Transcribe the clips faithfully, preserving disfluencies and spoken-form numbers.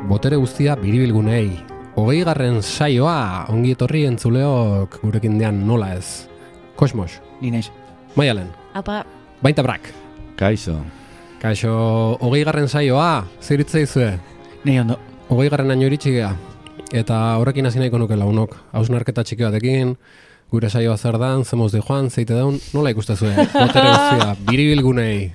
botere guztia biribilgunei. Hogei garren saioa, ongi etorri entzuleok gurekin dean nola ez. Kosmos. Ni naiz. Maialen. Apa. Baita brak. Kaixo. Kaixo, hogei garren saioa, ziritza izue. Nei ondo. Hogei garren aino iritsi gea. Eta horrekin hasi nahiko nuke launok. Hausnarketa txiki batekin, gure saioa zer dan, zemoz di joan, zeite daun, nola ikustezue? Botere guztia, biribilgunei.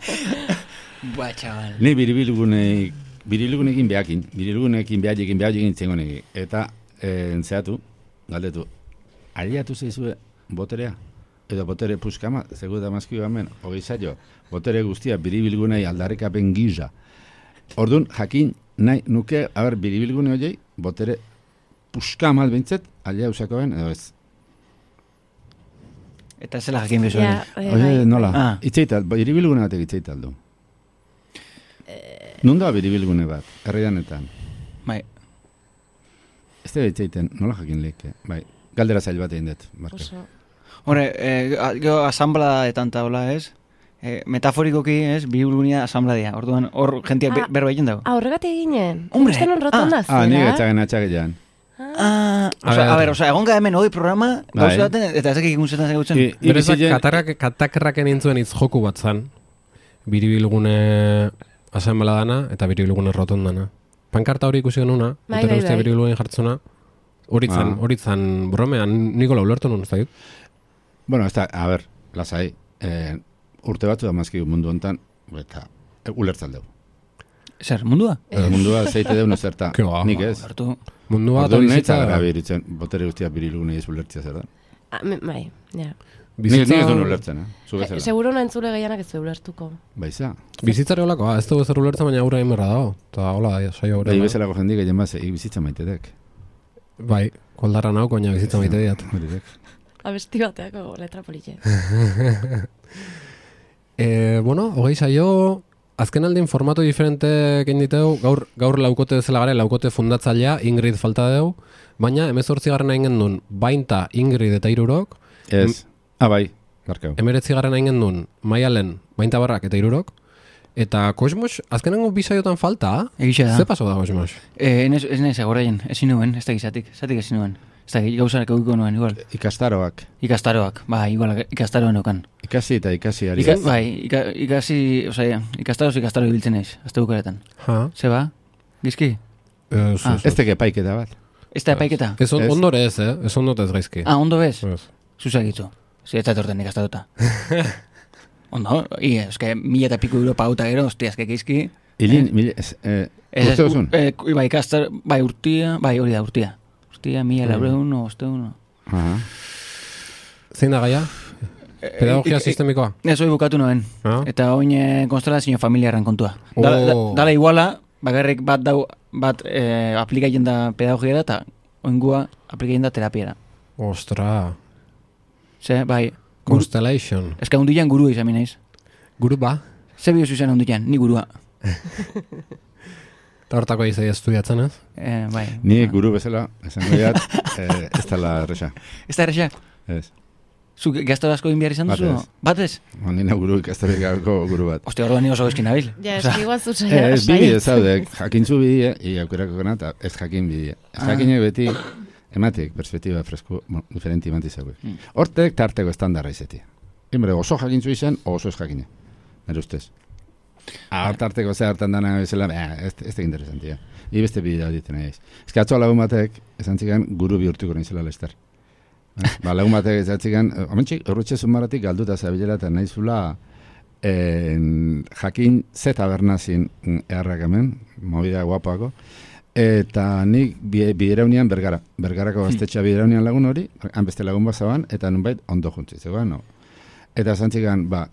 Ba, txabal. Ni biribilgunei, biribilgunekin behakin, biribilgunekin behajekin, behajekin txengonegi. Eta, eh, entzeatu, galdetu, aliatu zeizue boterea? Edo botere puskama, zegu da mazkio gamen, hogei saio, botere guztia biribilgunei aldarrikapen giza. Orduan, jakin, nahi nuke, haber, biribilgune horiei, botere puskama albintzet, alia usakoen, edo ez. Eta zela jakin bezu. Ja, hori. eh, Oye, bai. nola, Ah. itzeital, biribilgune batek itzeital du. Non da biribilgune bat, herrianetan? Bai. Ez da itzeiten, nola jakin lehike, bai. Galdera zail bat egin dut, Marko. Oso. Hore, eh, gero asambladaetan taula, ez? Eh, metaforikoki, ez? Biribilgunea asambladea. Orduan, hor jentia Ah. berba egin dago. Ah, horregatik eginen. Hombre, Uste non rotonda Ah, zera. ni etxagen atxagean. Ah, A oza, ver. a ver, oza, egon gahemen hoi programa, Bai. gauza baten, eta ezak ikusten zegutzen. I- Berezak Ibizien- katarrak, katakerraken intzuen hitz joku bat zan. Biribilgune asambladana eta biribilgune rotondana. Pankarta hori ikusi genuna, Bai, botere bai, guztia bai. biribilgune jartzuna. Horitzan, Ah. horitzan bromean, Nikola ulertu nun, ez da dit? Bueno, ez da, a ber, lasai, eh, urte batzu da mazkigu mundu hontan, eta e, ulertzaldeu. Zer, mundua? Eh. Mundua zeite deun zerta, Ke ba. nik ez. Hartu. Mundua eta Orduan nahi bizitza... gara biritzen, botere guztia birilgune ez ulertzia zer da. Ah, me- bai, ja. Nik nik ez duen ulertzen, eh? Zu bezala. Seguro na entzule gehianak ez du ulertuko. Baiza. Bizitzare holakoa, ez dugu zer ulertzen, baina aurra inberra dago. Eta hola, da, saio Bai, aurra. bezalako jendik egin bat, ik bizitza maitedek. Bai, koldarra nauk, baina bizitza maite diat. Horidek. Abesti bateako letra politxe. E, bueno, hogei saio, azken aldin formato diferente egin diteu, gaur, gaur laukote dezela gare, laukote fundatzailea, Ingrid falta deu, baina emezortzi garren egin gendun, bainta Ingrid eta irurok, Ez. Ah, bai, barkau. emeretzi garren egin gendun, Maialen, bainta barrak eta irurok, eta Kosmos, azkenengo bi saiotan falta, Egixe da. ze paso da Kosmos? Eh, ez ez nahi zagoraien, ezin nuen, ez da gizatik, zatik ezin nuen. Ez da gauzak eukiko nuen, igual. Ikastaroak. Ikastaroak, bai, igual, ikastaroan eukan. Ikasi eta ikasi ari. Ika, bai, ika, ikasi, osea, ikastaroz ikastaro ibiltzen naiz, azte bukaretan. Ha? Ze ba? Gizki? E, zu, Ah. zu. Ez teke paiketa bat. Ez da epaiketa? Ez on, Ez. ondore ez, eh? Ez ondot ez gaizki. Ah, ondo bez? Ez. Zuzak itzu. Zer ez da etorten ikastarota. Ondo, i, eske, mila eta piko euro pauta gero, ostia, eske gizki. Ilin, mil, ez, eh, Ez, ez, uste duzun? eh, bai, ikastar, bai, urtia, bai, hori da, urtia. Urtia, mila Mm. laureun, osteun. Aha. Zein da gaia? Pedagogia sistemikoa? Ez hori bukatu noen. Ah? Eta oin eh, konstelazio familiarren kontua. Da, da, Oh. dala iguala, bakarrik bat dau, bat eh, aplikatzen da pedagogiara eta oingua aplikatzen da terapiara. Ostra, Ze, bai, guru, Constellation. eska hundian gurua izan naiz. Guru ba? Ze biozu izan hundian, ni gurua. Eta hortako izai estudiatzen ez? Eh, bai. Ni guru bezala, esango diat, eh, ez dala erresa. Ez da errexak? Ez. Zu gaztaro asko egin behar izan Bat duzu? ez. Bat ez? Ondina guru ikastarik gabeko guru bat. Ostia, orduan ni oso eskin nabil. Ja, Osea, eski igual zu Eh, saia. Ez bidie zaudek, jakintzu bidie, i aukerako gana, eta ez jakin bidie. Ez Ah. jakinek beti, ematik, perspektiba fresko, bueno, diferenti emanti zauek. Mm. Hortek tarteko estandarra izetia. Imbre, oso jakintzu izan, o oso ez jakine. Nere ustez. Hor tarteko ze hartan dana bezala, eh, ez, ez da interesantia. I beste bidea hau ditzen nahiz. Ez que atzo lagun batek, esan txikan, guru bihurtuko nintzela lester. Eh? Ba, lagun batek esan txikan, omentxik, horretxe zumaratik galduta zabilera eta nahizula en, jakin ze tabernazin eharrak hemen, movida guapoako, eta nik bi- bideraunean bergara, bergarako gaztetxea bideraunean lagun hori, han beste lagun bazaban, eta nunbait ondo juntzi, zegoen, no? Eta esan txikan, ba,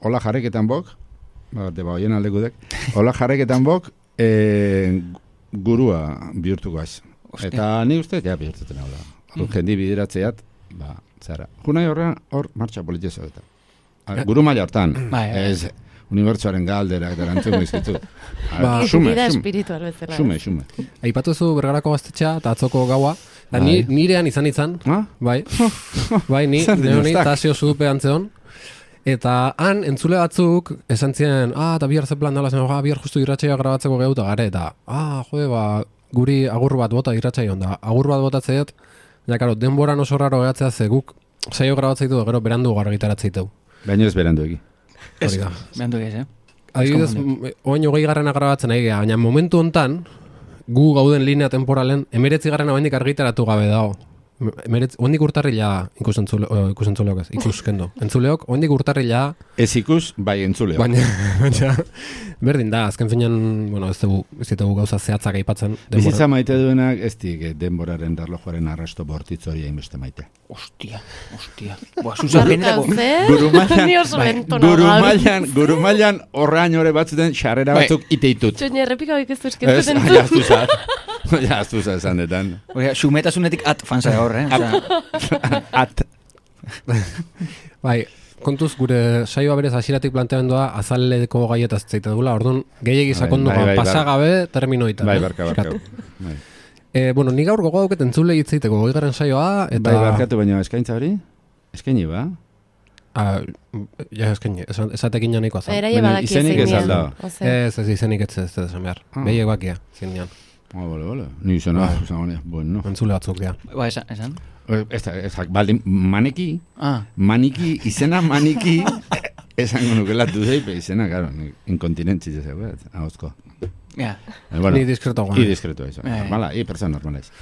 hola jarreketan bok, ba, de ba, oien aldekudek, hola jarreketan bok, e, gurua bihurtuko az. Ostia. Eta ni uste, ja, bihurtuten hau da. Hor jendi bideratzeat, ba, zara. Junai horrean, hor, martxa politizio eta. Guru maila hortan, Bai, bai. ez, unibertsuaren galderak eta erantzun izkitu. Ba, Xume, Vida xume, espiritual bezala. xume, xume. Aipatu zu bergarako gaztetxea eta atzoko gaua. Da, Bai. ni, nirean izan izan, Ah? bai. Bai, ni, Zer neoni dinostak? tasio zupe antzeon. Eta han, entzule batzuk, esan ziren, ah, eta bihar ze plan dala zen, ah, bihar justu irratxea grabatzeko gehu eta gare, eta, ah, jode, ba, guri agur bat bota irratsaioan da. Agur bat botatzeet, ja, karo, denboran oso raro gehatzea ze guk saio grabatzeitu gero berandu gargitaratzeiteu. Baina ez berandu egi. Ez, Hori da. behandu ez, eh? Adibidez, oain hogei garrana grabatzen ari geha, baina momentu hontan, gu gauden linea temporalen, emeretzi garrana oaindik argitaratu gabe dago. Emeretzi, oaindik urtarrila ikusentzule, uh, ikusentzulok ez, ikuskendo. Entzuleok, oaindik urtarrila... Ez ikus, bai entzuleo. Baina, baina, berdin da, azken finean, bueno, ez dugu, ez dugu gauza zehatzak aipatzen. Bizitza maite duenak, ez dik denboraren erlojuaren arrasto bortitz hori hainbeste maite. Ostia, ostia. Boa, Susan, benetako... Ni oso bai, lento nago. gurumailan, gurumailan horrean ore batzuten xarrera batzuk iteitut. Txoin, errepika hoik ez du Ez, eskertzen ja, aztu zaz. Ja, aztu zaz esan detan. Oia, xumetasunetik at fansa hor, eh? Osea, At. Bai, kontuz gure saioa berez hasieratik planteamendua azaleko gaietaz zeite dugula, orduan gehiegi sakondu bai, bai, bai, pasagabe terminoita. Bai, eh? barka, barka. Bai. Eh, bueno, ni gaur gogo dauket entzule hitzeiteko goigarren saioa, eta... Bai, barkatu baina eskaintza hori? Eskaini ba? Ah, ja, eskaini, esan- esatekin ja nahikoa zan. Eraie Baina badaki izenik ez zein alda. dian. Ose. Ez, ez izenik ez ez ez esan behar. Ah. Behiek bakia, zin dian. Ah, bole, bole. Ni izan, ah, izan, bole. Bueno. Entzule batzuk dira. ba, esan, esan? Ez da, ez da, baldin, maneki, Ah, maniki, izena maniki, esango nukela duzei, izena, claro, inkontinentzi ez egu, ahozko. ja. Eh, bueno, Ni diskreto I guan. diskreto, eso. Eh. Normala, i persona normala ez.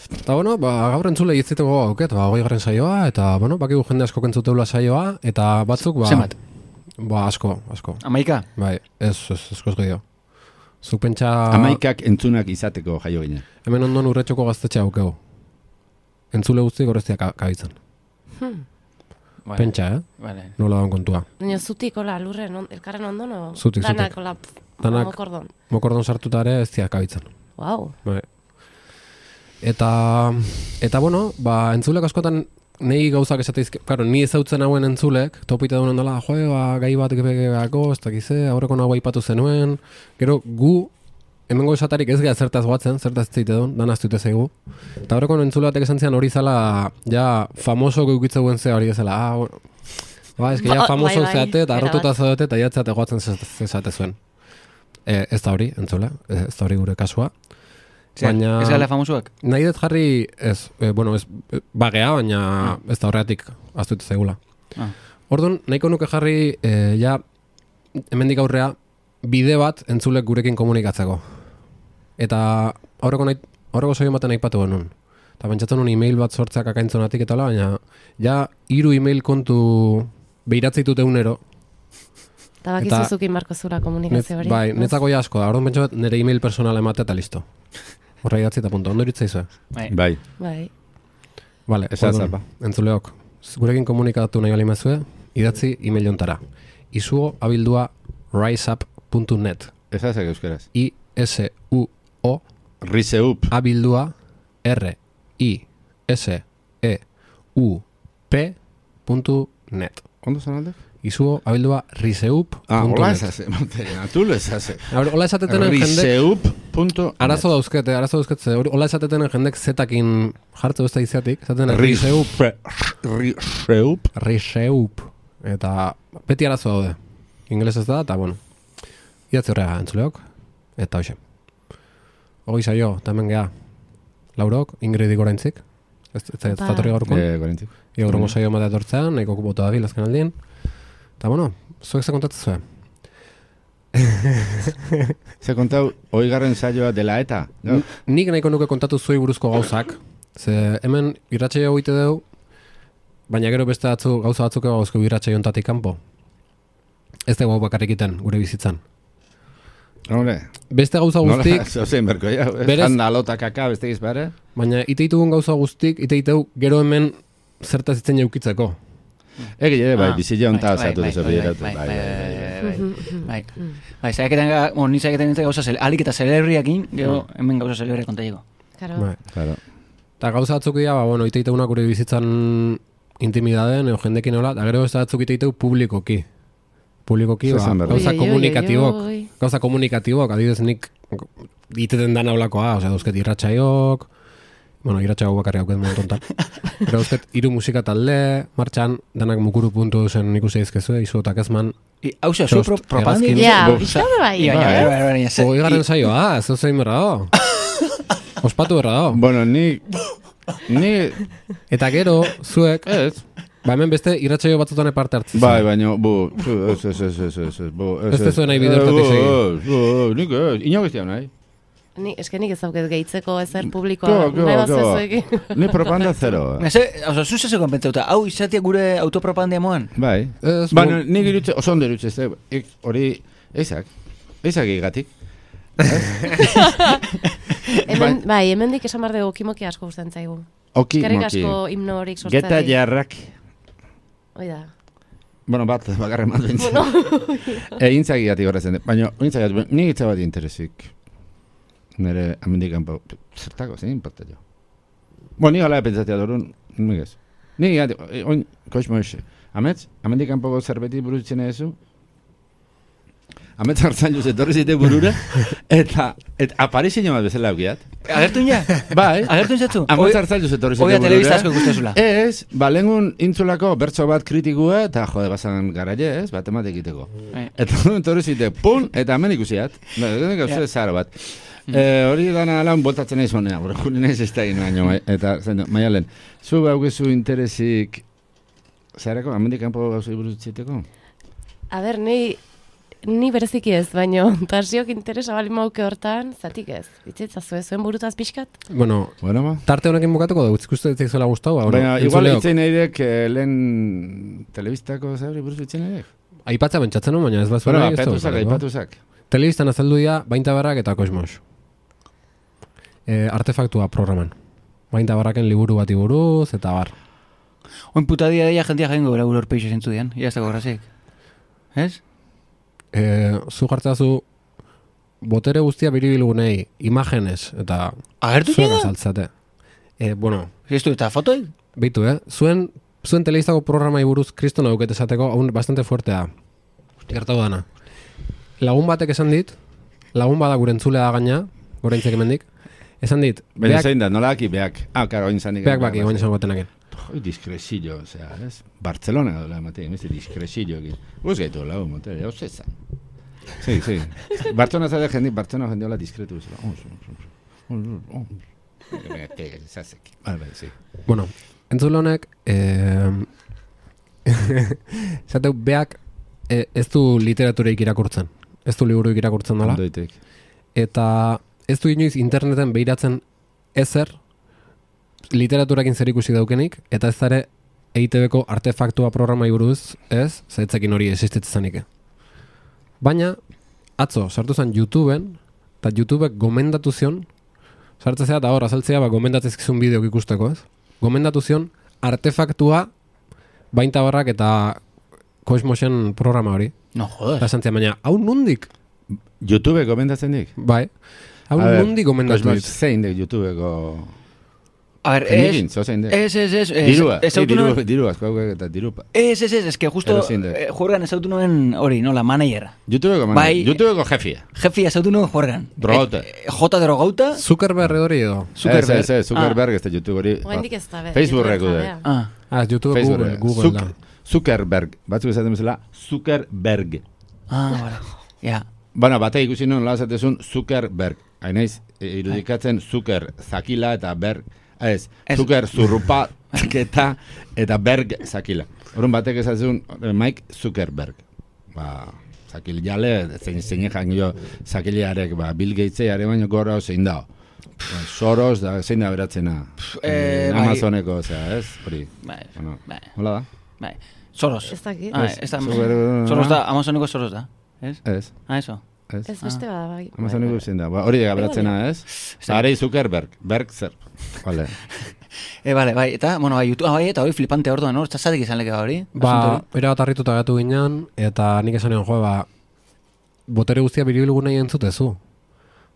Eta bueno, ba, gaur entzule hitzeiteko auket, ba, hogei garren saioa, eta bueno, bakigu jende asko kentzuteula saioa, eta batzuk, ba... Zenbat? Ba, asko, asko. Amaika? Bai, ez, ez, eskoz gehiago. Zuk pentsa... Amaikak entzunak izateko jaio ginen. Hemen ondon urretxoko gaztetxe aukeu. Entzule guztiek horreztia ka kabitzen. Vale. Pentsa, eh? Vale. Nola daun kontua. Baina zutik, hola, lurren, on, elkarren ondon, o? Zutik, Danak, zutik. hola, pff, Danak. mokordon. Mokordon sartuta ere ez dia kabitzen. Wow. Bai. Eta, eta bueno, ba, entzulek askotan nei gauzak esateizk, claro, ni ezautzen hauen entzulek, topite duen ondola, joe, ba, gai bat gepegako, ez dakize, aurreko nago aipatu zenuen, gero gu, hemengo esatarik ez geha zertaz guatzen, zertaz zeite duen, dan aztute zeigu. Eta aurreko entzule batek esan zian hori zala, ja, famoso geukitzeuen zea hori ezela, ah, bueno, ba, ez que ja Ba- famoso bai, bai, zeate, eta arrotuta erabat. zaudete, eta jatzate guatzen zezate zuen. E, ez da hori, entzule, ez da hori gure kasua. Zer, Baina- ez gala famosuak? Nahi dut jarri, ez, e, bueno, ez, e, bagea, baina ez da horreatik aztute zaigula. Ah. Orduan, nahiko nuke jarri, e, ja, hemendik aurrea, bide bat entzulek gurekin komunikatzeko. Eta aurreko nahi, aurreko saio baten aipatu genuen. Eta pentsatzen nuen e-mail bat sortzeak akaintzonatik eta hola, baina ja, hiru e-mail kontu behiratzeitut egunero. Eta bakizu Eta- zukin barko zura Net, komunikazio hori. bai, ez? netzako ja asko da. Orduan pentsatzen nire e-mail personala ematea eta listo. Horra idatzi eta punto. Ondo iritzaizu. Bai. Bai. Bai. Vale, Esan orduan, zapa. entzuleok, gurekin komunikatu nahi balimazue, idatzi e-mail ontara. Izuo abildua riseup puntu net. Ez azek euskeraz. I S U O Riseup. abildua R I S E U P puntu net. Ondo zan alde? Izuo abildua riseup Ah, puntu hola net. ez azek. Natulo ez azek. Hola esatetenen jendek, Riseup punto arazo dauzkete, arazo dauzkete, hola esatetenen jendek zetakin jartze beste izatik, esaten riseup, Riseup. riseup, eta beti arazo daude. Ingeles ez da, eta bueno, idatzi horrega entzuleok, eta hoxe. Hogei saio, eta hemen geha, Laurok, Ingridik oraintzik, ez ez zaitu Ba. zatorri gaurkon, Eh, gorentik. ia gaurrengo saio ematea etortzean, nahiko kupotu dabil azken aldien, eta bueno, zuek ze kontatzen zuen. Ze kontau, oigarren saioa dela eta? No? Nik nahiko nuke kontatu zuei buruzko gauzak, ze hemen irratsaio egite dugu, baina gero beste atzu, gauza batzuk gauzko irratsaio ontatik kanpo. Ez dugu hau bakarrik iten gure bizitzan. Hombre, Beste gauza guztik, nola, zauzein berko, ja. Berez- Janda alota kaka, beste gizbare. baina iteitugun gauza guztik, iteiteu gero hemen zertaz itzen jaukitzeko. Egi, ere, bai, Ah, bizila honta bai, zatu bai, dezo bai, bideratu. bai, Bai, bai, bai, bai. bai, bai. Bai, zaiaketan, bueno, ni zaiaketan nintzen gauza, zel- alik eta celebriakin, gero hemen gauza celebria kontaiko. Claro. Bai. Claro. Eta gauza batzuk dira, ba, bueno, iteiteunak gure bizitzan intimidaden, edo jendekin hola, eta gero beste batzuk iteiteu publikoki. Publikoki, Zer ba, esan behar du? gauza Oi, oi, oi, komunikatibok, oi, oi. gauza komunikatibok, adibidez nik iteten dan aulakoa, osea, dauzket irratxaiok, bueno, irratxaiok bakarri hauket momentu ontan. Pero dauzket hiru musika talde, martxan, danak mukuru puntu zen ikusi izkezue, izu eta kezman, I, hau ze, zu Txost, pro, propagandik? hegazkin. Ja, Bo- bizkaude bai. Ia, bai. ja, bai, bai, bai, ze- hogei i- garren saioa, ez zein berra, Ospatu berra dago. Bueno, ni... Ni... Eta gero, zuek, Ez. ba hemen beste irratsaio batzutan parte hartzen. Bai, baina, bu... Ez, ez, ez, ez, ez, ez, bu... Ez tezu nahi bide hortatik segi. Ez, ez, nik ez, inok ez nahi. Ni, eske nik ez dauket gehitzeko ezer Keba, publikoa. keba, Nahi bat keba. zezuekin. Ni propaganda zero. Eze, oso, zuzeseko pentsauta, hau izatea gure autopropagandia moan? Bai. Ez, Baina, nik irutze, oso ondo irutze, ez, ik, hori, ezak, ezak egatik. Hemen, bai, hemendik esan behar dugu kimoki asko gustatzen zaigu. Oki, Eskerrik moki. asko himno horik sortzeari. Geta jarrak. Hoi da. Bueno, bat, bakarren bat bintzen. Egin zagiatik horrezen. Baina, egin zagiatik, nik itza bat interesik. Nere, amendik kanpo, zertako, zein importa jo. Bueno, nik ala pentsatia dorun, nik ez. Nik gati, oin, koizmo ese. Ametz, amendik kanpoko zerbeti burutzen ezu. Ametz hartzan juz, etorri zite burura, eta, eta aparizio bat bezala aukiat. Agertu ina? Bai. Agertu inzatzu? Ametz hartzan juz, etorri zite burura. Oia telebista asko gustazula. Ez, ba, lengun intzulako bertso bat kritikua, eta jode, basan garaile, ez, bat emate egiteko. Eh. Eta etorri zite, pun, eta hemen ikusiat. Ba, gauze zara bat. Eh, hori dana lan boltatzen nahi zonea, bora, juli nahiz ez da gino baino, eta, zaino, maialen, zu baukezu interesik, zarako, amendik kanpo gauzei buruz txiteko? A ber, ni, ni bereziki ez, baino, tasiok interesa bali mauke hortan, zatik ez. Itzaitzazu ez, zuen burutaz pixkat? Bueno, Bueno, ba. tarte honekin bukatuko dugu, ikustu ez zuela gustau, ba, Baina, bueno, igual entzuleok. itzen nahi dek, eh, lehen telebistako zabri buruz itzen nahi dek? Aipatza bentsatzen hon, baina ez bat Bueno, zuela ba, petuzak, aipatuzak. Telebistan azaldu dira Bainta Barrak eta Kosmos. E, artefaktua programan. Bainta Barraken liburu bati buruz, eta bar. Oin putadia deia jentia jaingo bera gure orpeixo zentzu dian, ia ez dago grazik. Ez? E, zu jartzazu botere guztia biribilgunei imagenez, eta Agertu zuek da? azaltzate. E, bueno, Ez du, eta fotoi? beitu, eh? Zuen, zuen telebistako programai buruz kriston auket esateko, hau bastante fuertea. Gertau dana. Lagun batek esan dit, lagun bada gure entzulea da gaina, gure entzek emendik, esan dit, Baina beak, zein da, nola aki, beak. Ah, karo, oin zanik. beak baki, baina esan gotenaken. Oi, diskresillo, osea, ez? Barcelona dola, mate, emeste diskresillo ekin. Guz gaitu lau, mate, jau zezan. Sí, sí. Barcelona zade jendi, Barcelona jendi hola diskretu bezala. Oh, oh, oh, oh. Zazek. Bai, bai, sí. Bueno, entzule honek, eh, zateu, beak eh, ez du literatureik irakurtzen. Ez du liburuik irakurtzen dola. Ondoitek. Eta ez du inoiz interneten behiratzen ezer literaturakin zer ikusi daukenik, eta ez ere E I T B-ko artefaktua programai buruz, ez, zaitzekin hori existitzen zanik. Baina, atzo, sartu zen YouTubeen, eta YouTubek gomendatu zion, sartzea eta hor, azaltzea, ba, gomendatzezkizun bideok ikusteko, ez? Gomendatu zion artefaktua Bainta Barrak eta Kosmosen programa hori. No, Eta joder. esan zian, baina, hau nundik? YouTube gomendatzen dik? Bai, hau A ber, nundik gomendatu Kosmos, dit. zein dek YouTubeko... A ver, Jenikin, ez... zo zein dek? Ez, ez, ez... ez- Dirua, ez eh, autu diru, nuen- diru, asko haukek eta diru. Ez, ez, ez, ez que justo Pero zein dek? eh, juergan ez autu nuen hori, no, la managera. YouTubeko man, Bai. YouTubeko jefia. Jefi ez autu nuen juergan. Drogauta. Eh, eh, Jota drogauta. Zuckerberg hori edo. Zuckerberg. Ez, ez, ez, Zuckerberg ez da YouTube hori. Oraindik ez da, be. Facebookreko YouTuberen dek. jabea. Ah. Ah, YouTube, Google, Google da. Zuckerberg, batzuk esaten bezala, Zuckerberg. Ah, vale. Ja. Bueno, batek ikusi nuen nola esatezun Zuckerberg. Hainaiz, e, irudikatzen Zucker zakila eta berg, ez, Ez. Zucker zurrupa eta, eta berg zakila. Horren batek esatezun eh, Mike Zuckerberg. Ba, zakil jale, zein zein jo zakiliarek, ba, Bill Gatesare baino gora zein da. Ba, Soros da, zein da beratzena. Eh, Eh, bai. Amazoneko, osea, ez? Hori. Bai, Bueno, bai, hola da? bai. Soros. Ez dakit. Ah, Ez, ez da... Zucker- Soros da, Amazoneko Soros da. Ez? Ez, Ah, eso. ez. Ez beste bada, bai. Amazoneko zein da. Ba, hori da beratzena, ez? Zarei Zuckerberg, Berg zer. Vale. E, bale, bai, eta, bueno, bai, YouTube, ah, bai, eta hori flipante orduan, hor, zazatik izan leke hori. Ba, era bat harrituta gatu ginen, eta nik esan egon, jo, ba, botere guztia biribilgu nahi entzutezu.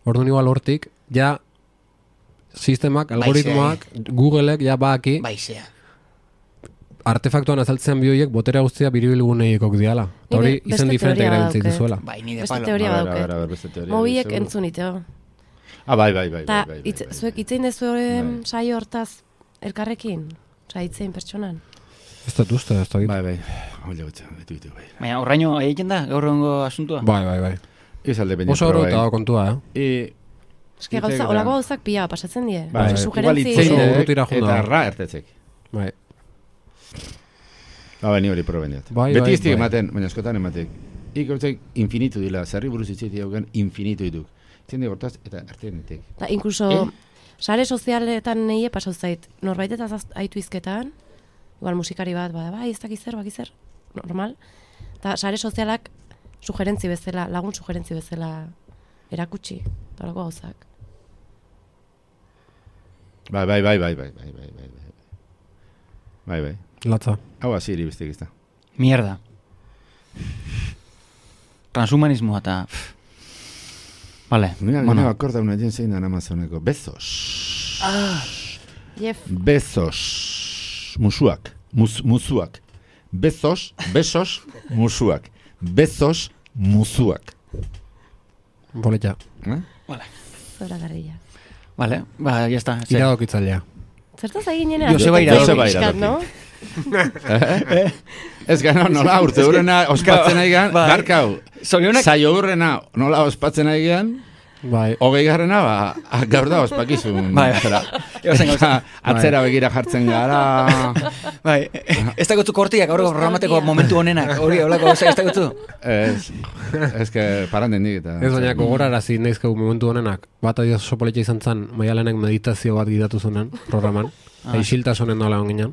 Orduan igual hortik, ja, sistemak, algoritmoak, Googleek, ja, baki, Baizea. artefaktuan azaltzean bioiek botere guztia biribilgu nahiekok diala. Eta hori, Nik beste izen diferente teoria erabiltzen badauket. dizuela. Bai, ni de Beste palo. teoria A ver, badauket. a ver, a ver, beste teoria. Mobiek seguro. entzun iteo. Ah, bai, bai, bai, Eta, bai, bai, itz- bai. zuek itzein dezu horren Bai. saio hortaz elkarrekin? Osa, itzein pertsonan? Ez dut uste, ez dut. Bai, bai. Oile gutxa, betu ditu, bai. Baina, horraino egiten da, gaur egongo asuntua? Bai, bai, bai. Izalde baina Oso oro eta kontua, eh? I, Eske gauza, olako gauzak pila pasatzen die. Bai, igual Sugerentzi... itzein, Oso eh, urrutira joan eta da. ra ertetzek. Bai. Ba, bani hori proben diat. Bai, Beti bai, ez dik bai. ematen, baina askotan ematek. Ik hortzek infinitu dila, zerri buruz itziti hauken infinitu dituk. Itzen dik hortaz, eta ertean ditek. Da, inkluso, Eh? sare sozialetan neie pasau zait. Norbait eta aitu izketan, igual musikari bat, bada, bai, ez dakiz zer, bakiz zer, normal. Eta sare sozialak sugerentzi bezala, lagun sugerentzi bezala erakutsi, eta olako gauzak. Bai, bai, bai, bai, bai, bai, bai, bai, bai. Bai, bai. Latza. Hau aziri biztik izta. Mierda. Transhumanismoa eta... Vale, Mira, bueno. bueno. Akorda una jen zein dan Amazoneko. Bezos. Ah, Jeff, Bezos. Musuak. Mus, musuak. Bezos, besos, musuak. Bezos, musuak. Boletxa. Eh? zora garrilla. vale, ba, ya está. Sí. Iradokitzalea. Zertaz egin jenean? Joseba Iradoki. Joseba Pixkat, Iradoki. no? Ez gana, nola urte hurrena ospatzen nahi gan, Bai. garkau. Zorionak... Zaio hurrena nola ospatzen nahi gan, Bai. hogei garrena, ba, a- gaur da ospakizun. Bai, bai. Zera. Eozen gauza. Atzera begira jartzen gara. Bai, ez dagotu kortiak aurreko programateko Nostalgia. momentu honenak. Hori, holako gauza ez dagotu. Ez, ez que paranden dik eta. Ez baina gogorarazi naizkeu momentu honenak, bat adio oso politxa izan zen, Maialenek meditazio bat gidatu zunen programan, Ah. isiltasunen nola onginan.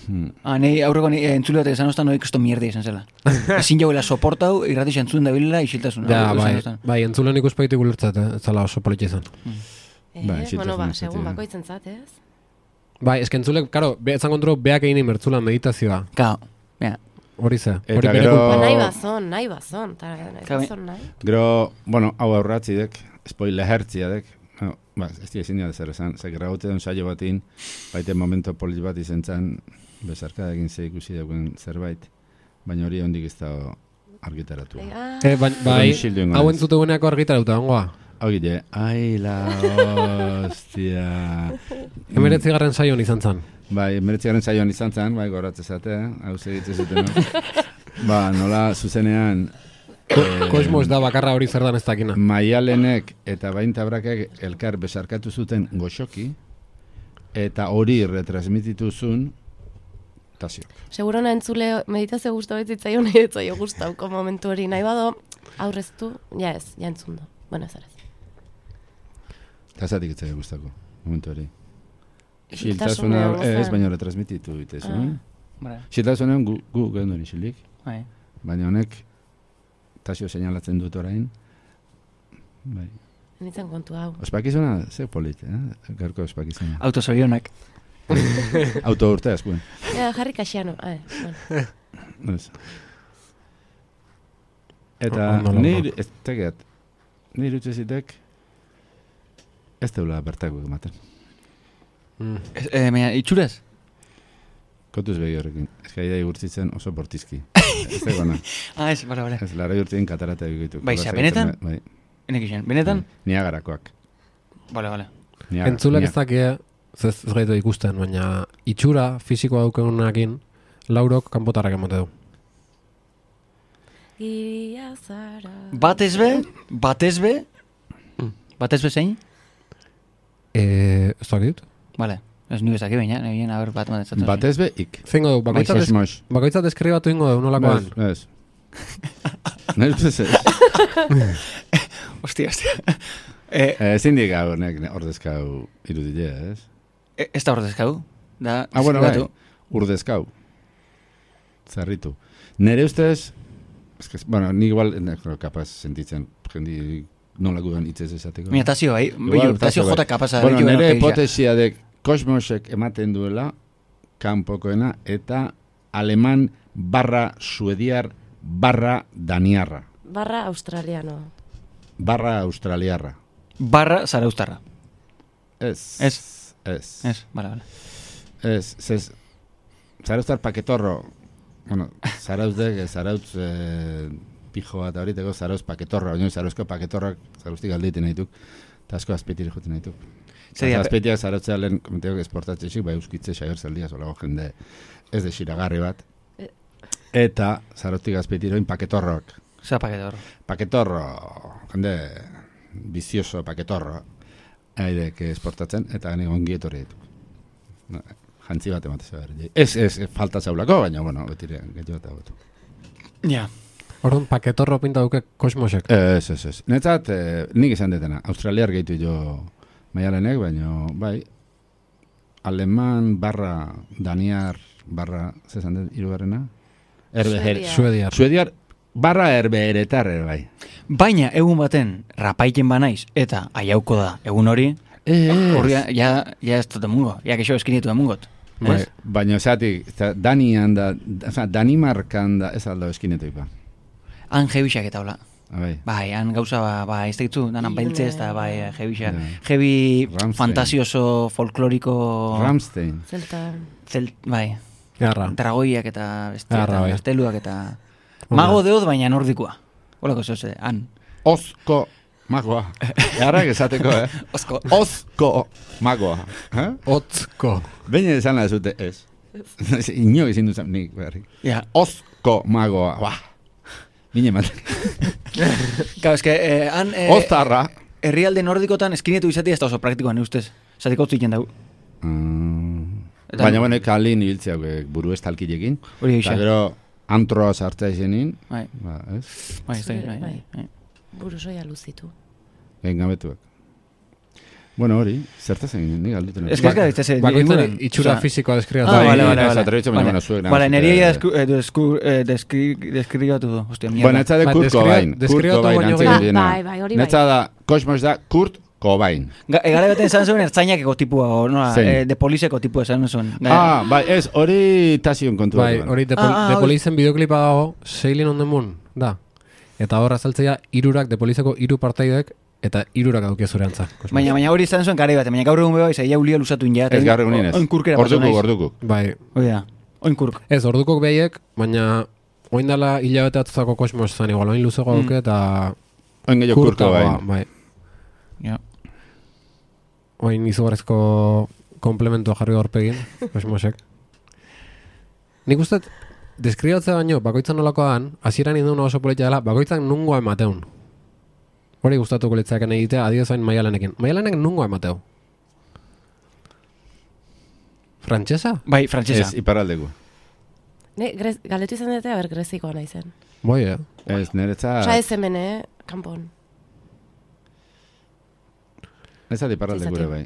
Hmm. Ah, nahi aurreko ni entzule bat esan ostan, hori kristo mierda izan zela. Ezin jauela soportau, irratix entzun da bilela isiltasuna. Ja, Hori bai, esan ostan. bai, entzulen ikuspaitik ulertzat, eh, ez zala oso politxa izan. Eh, Bai, isiltasun bueno, ba, ez segun zaite, bakoitzen zat, ez? Bai, eske entzulek, karo, be, etzan kontro, beak egin imertzulan meditazioa. Kao, ja. Hori ze, Eta hori bere gero- kulpa. Ba, nahi bazon, nahi bazon, eta nahi Kabe- bazon, nahi. Gero, bueno, hau aurratzidek, spoiler hertziadek, no, ba, ez dira ezin da zer esan, zer graute den saio batin, baite momento polit bat izen zen, bezarkadekin ze ikusi dauken zerbait, baina hori hondik ez da argitaratu. Eh, ah, Eh, bai, bai, Isildu ingo hau naiz. entzuteguneako argitarauta ongoa. Hau gile, ai la hostia. Emeretzi garren saion izan zan. Bai, emeretziaren saioan izan zen, bai, goratze zate, hau segitzen zuten. Ba, nola zuzenean, eh, Kosmos da bakarra hori zer dan ez dakina. Maialenek eta Baintabrakek elkar besarkatu zuten goxoki, eta hori retransmititu zuen Tasiok. segurona entzule meditazio guztu betzitzaion nahi etzaio guztauko momentu hori nahi bado, aurreztu, ja ez, ja entzun do. Bueno, ez araz. Tasatik etzai gustako, momentu hori. Isiltasuna Xiltasuna ez, gozan. baina retransmititu ditezun. Vale, Xiltasunean gu, gu gehendun isilik, bai. baina honek Tasio seinalatzen dut orain. Bai. Nintzen kontu hau. Ospakizuna, ze polit, eh? Garko ospakizuna. Autosorionak. Auto urte askuen. Ja, jarri kaxiano, ah, bueno. Ez. Eta Ondo, ondo. nire, ez tegeat, nire utzezitek ez deula bertako ematen. Mm. Ez, eh, baina, itxuraz? Kontuz begi horrekin. Ez gai da igurtzitzen oso bortizki. Ez da gana. Ah, ez, bale, bale. Ez lara igurtzen katarata egitu. Bai, ze, benetan? Bai. Enek izan, benetan? Niagarakoak. Bale, bale. Niagara, Entzulek ez Niagara. dakie, ez ez gaitu ikusten, baina itxura fisikoa daukegunakin, laurok kanpotarrak emote du. Giria zara... Batez be, batez be, batez be zein? Eh, ez dakit? Bale, ez nire zaki baina, nire a ber, bat matetzatzen. Batez be, ik. Zingo du, bakoitzat, Mos, es, mos. bakoitzat eskribatu ingo du, nolakoan. Ez, ez. Nire ustez ez. Ostia, ostia. Eh, Eh, Ezin dik hau, nek ordezkau irudilea, ez? eh, ez da ordezkau. Da, Ah, bueno, bai, eskribatu. urdezkau. Zarritu. Nere ustez, es que, bueno, ni igual, nek, kapaz sentitzen, jendi nola gudan itzez esateko. Mira, Tasio, bai. Igual, Bilu, Tasio bai. jota kapasa. Bueno, ditu nire beno, pegia. hipotesia de kosmosek ematen duela, kanpokoena, eta aleman barra suediar barra daniarra, Barra australiano. barra australiarra. Barra zaraustarra. Ez. Ez. Ez. Ez, bale, bale. Ez, ez. Zarauztar paketorro, bueno, zarauzdek, zarautz eh, pijoa eta horiteko zarauz paketorro, baina zarauzko paketorrak zarauztik aldeiten nahituk, eta asko azpetire joten nahituk. Zer dira, Azpetiak zarautzea lehen komenteok esportatzezik, bai euskitze saior zaldia, zolago jende ez de xiragarri bat. Eh. Eta zarautik azpetiroin paketorroak. Zer paketor. Paketorro, jende bizioso paketorro. Aidek esportatzen, eta gani ongi etorri ditu. No, jantzi bat ematez behar. Ez, ez, falta zaulako, baina, bueno, betire, gehiago eta gotu. Ja. Orduan, paketorro pinta duke kosmosek. Ez, ez, ez. Netzat, eh, nik izan detena. Australiar gehitu jo maialenek, baina, bai, aleman barra daniar barra, zezan dut, irugarrena? Erbeher, Suediar. Suediar barra erbeheretar, ere, bai. Baina, egun baten, rapaiten banaiz, eta aiauko da, egun hori, Ez. horri, ja, ja ez dut emungo, ja kexo eskinetu emungot. Bai. Ez? Baina, zeatik, Danian da, oza, Danimarkan da, ez aldo eskinetu ipa. Han jebixak eta hola. Bai. Bai, han gauza, ba, ba ez daitzu, danan Ilune. beltzez, eta bai, jebixak. Ja. Jebi Rammstein. fantasioso, folkloriko... Rammstein. Zelta... Zelt, bai, Garra. dragoiak eta bestia, Garra, eta bai. gazteluak eta... Ona. Mago deoz, baina nordikoa. Olako zoze, han. Ozko magoa. Jarrak esateko, eh? Ozko. Ozko magoa. Eh? Otzko. Baina esan da zute, ez. Ino ezin duzan nik, berri. Ja. Ozko magoa. Ba. Mine mat. Claro, es que eh, han... Eh, Oztarra. herrialde nordikotan eskinetu izatea ez da oso praktikoan, ustez. Zatiko utziken dugu. Mm. Eta- Baina, bueno, kalin ibiltzeak buru estalkilekin. Hori Eta gisa. gero antroa sartza izenin. Bai, Ba, ez? bai, ez da, Zure, bai, bai, bai. bai. Burusoia luzitu. Gain gabetuak. Bueno, hori, zertaz egin, nik alduten. Ez que ez gara, ez ez, Bakoitzaren inguran, itxura osea, fisikoa deskribatu. Ah, Bai, vale, vale, ez vale. atrebitzen, baina, bueno, zuek Vale, nahazute- nire desku, eh, desku, eh, deskri, deskribatu du. Hostia, mierda. Bueno, etza de Ba, Kurt deskriba- Cobain. Kurt deskribatu Cobain baino antzeko gehiago. diena. Bai, bai, hori bai. Netza da, Kosmos da Kurt Cobain. Ga- Egara baten zan zuen ertzainak eko tipua, o, nola, Zein? eh, de polizeko tipua esan zuen. Ah, bai, ez, hori tasion kontu. Bai, hori de, pol, Ah, ah, de hori. polizen bideoklipa dago, Sailing on the Moon, da. Eta hor azaltzea hirurak de polizeko hiru partaidek eta hirurak daukia zure antza. Baina, baina hori izan zuen garai bat, baina gaur egun beba, izai ulia lusatu inja. Ez gaur egunin ez. Oinkurkera pasatu Orduko, naiz. orduko. Bai, Hoi da, oinkurk. ez, ordukok behiek, baina oin dala hilabete atzako kosmos zan, igual, oin luzego Mm. dauke eta Oin gehiago Kurt kurtagoa, Cobain. bai. Ja. Oin izugarrezko komplementua jarri horpegin, kosmosek. Nik uste, deskribatzea baino, bakoitzan nolakoan, hasieran induen oso politia dela, bakoitzan nungoa emateun. Hori gustatuko litzaken egitea, adioz hain maialenekin. Maialenek nungoa emateu. Frantsesa? Bai, frantsesa. Ez, iparaldeko. Ne, grez, galetu izan dute, aber grezikoa naizen. Bai, eh? Ez, niretza... Osa ez hemen, eh, kanpon. Ez da iparaldeko Izaten. ere bai.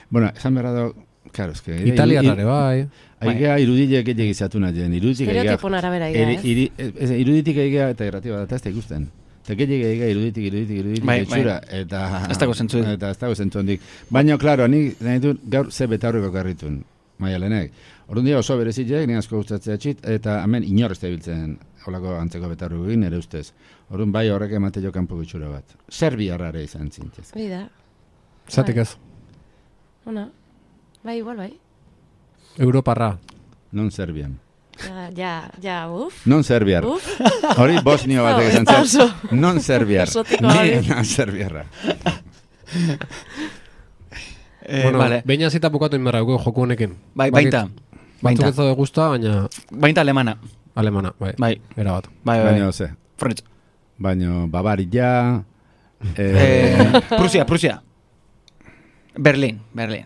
Bueno, esan berra da... Claro, es que... Italiarrare, bai. Aigea irudile gehiago izatu nahi, iruditik aigea... Estereotipon arabera gira, eri- ez? iri- ez, iruditik aigea eta irratioa da, eta ez da ikusten. Eta gehiago aigea iruditik, iruditik, iruditik, Bai, etxura, eta... Ez dago zentzurik. Eta ez dago zentzu handik. Baina, klaro, nik nahi dut gaur ze betaurriko karritun, maialenek. Orduan dira oso berezitek, ni asko gustatzea txit, eta hemen inor ez da biltzen holako antzeko betarriko egin, ere ustez. Orduan bai horrek emate jo kanpo gutxura bat. Serbiarrare izan zintez. Hori da. Zatik ez. Ona. Bai, igual, bai. Europarra. Non Serbian. Ja, ja, ja, uf. Non Serbiar. Uf. Hori Bosnio batek Ez esan da zen. oso. Non Serbiar. Exotikoa Ni hori. non Serbiarra. Eh, bueno, vale. behin azita bukatu inberra dugu joku honekin. Bai, Bakit- baita. Batzuk Baita. ez daude guztua, baina Baita alemana. alemana, bai. Bai. Era bat. Bai, bai. Baina, ze. French. Baina, Bavaria... Eh, Eh, Prusia, Prusia. Berlin, Berlin.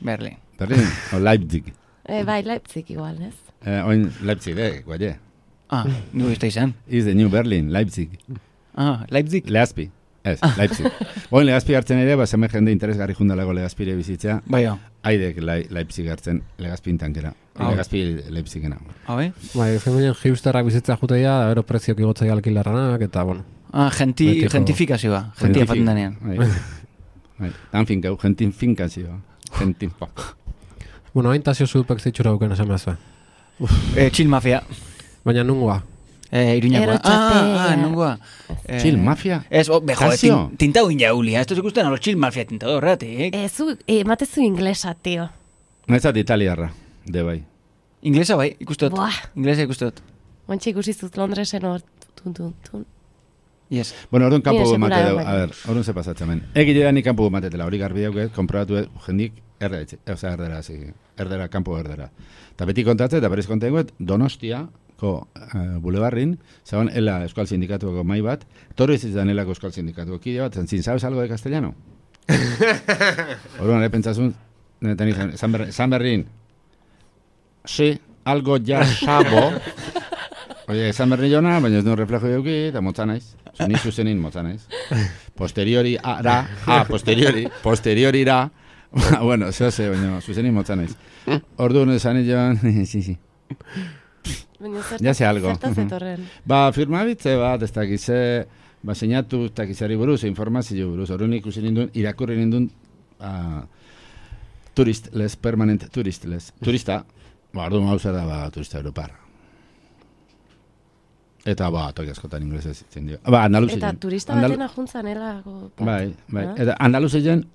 Berlin. Berlin, o Leipzig. Eh, bai, Leipzig igual, ez? Eh, oin Leipzig, eh, guaie. Ah, nu ez da izan. Is the new Berlin, Leipzig. Ah, Leipzig. Legazpi. Ez, Leipzig. Oin Legazpi hartzen ere, ba, zeme jende interesgarri jundalago Legazpire bizitzea. Bai, hau. Haidek Lai- Leipzig hartzen, Legazpin tankera. Ah. Legazpi Leipzigena. Hau, eh? Bai, feminen hipsterrak bizitza juteia, da bero preziok igotzea alkilarranak, eta bueno. Ah, genti, Betiko. gentifikazioa. Gentia faten danean. Bai. Bai, tan finkau, gentin finkazioa. Gentin pa. Bueno, hain tazio zudpek zitxura duken esan behaz. Eh, chill mafia. Baina nungoa. Eh, iruñakoa. Erotxatea. Ah, ah, nungoa. Eh, Chill mafia? Ez, oh, bejo, Tasio? tin, tintau injaulia. Esto se ikusten a los chill mafia tintado horretik. Eh, zu, eh, matezu inglesa, tio. Nezat italiarra, de bai. Inglesa bai, ikustot. Buah. Inglesa ikustot. Oantxe ikusi zut Londresen hor, tun, tun, tun. Yes. Bueno, orduan kanpo Ni mate sekula dugu, baina. a ber, orduan ze pasatzen hemen. Egile da ni kanpo matetela, hori garbi dauket, konprobatu dut, jendik erdera, osea erdera, hasi, erdera, kanpo erdera. Eta beti kontatzen, eta berriz kontatzen dut, Donostia, ko uh, bulebarrin, zaban ela Euskal Sindikatuko mai bat, toro ez izan elako Euskal Sindikatuko kide bat, zantzin, ¿sabes algo de castellano? Orduan, pentsazun, San Berrin, sí, algo ya sabo. Oye, San Berrin jona, baina ez du reflejo euki, eta motza naiz. Ni zuzenin motza naiz. Posteriori, ara, ah, posteriori, posteriori ra, bueno, zeo ze, baina zuzenin motza naiz. Orduan, esan joan, sí, sí. Ya sé algo. Ba, firmabitze bat, ez dakize, ba, seinatu, ez dakizari buruz, informazio buruz, orduan ikusi nindun, irakurri nindun, uh, turistless, permanent turistless, turista, ba, orduan hau zer da, ba, turista europar. Eta, ba, toki askotan inglesez zitzen dio. Ba, Andaluzien. Eta turista batena juntzan, elako. Bai, bai. Eta Andaluzien,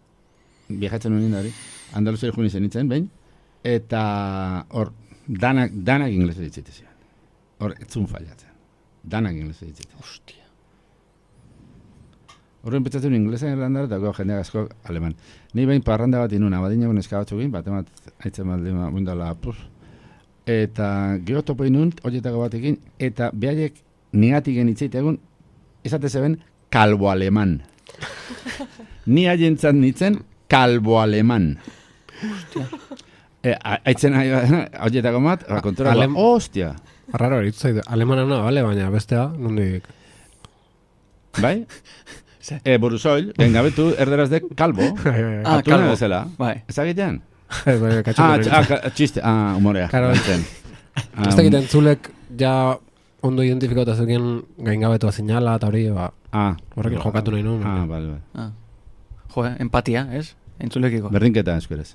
viajatzen nuen indari, Andaluzien juni zen itzen, behin, eta hor, danak, danak inglesez ditzitezien. Hor, etzun fallatzen. Danak inglesez ditzitezien. Ostia. Horren petzatzen inglesa irlandar, eta jendeak asko aleman. Ni behin parranda bat inuna, badina bon eskabatzukin, bat emat, haitzen bat lima, bundala, puz. Eta geotopo inun, horietako batekin, eta behaiek nigatik genitzeite egun, izate zeben, kalbo aleman. Ni haientzat nitzen, kalbo aleman. Ostia. E, haitzen horietako bat, kontura, Alem... ostia. Arraro, eritzaidu, alemanana, bale, baina bestea, nondik. Bai? E, buruzoil, bengabetu, erderaz de kalbo. Ah, kalbo. Bezala. Bai. Ez egitean? Ah, ah, txiste, ah, humorea. Claro. Ez egiten zulek ja ondo identifikauta zeuken gaingabetua zinala eta hori, ba, ah, horrekin jokatu nahi nuen. Ah, bale, bale. Ah. Jo, empatia, ez? Entzulekiko. Berdinketa, eskuerez.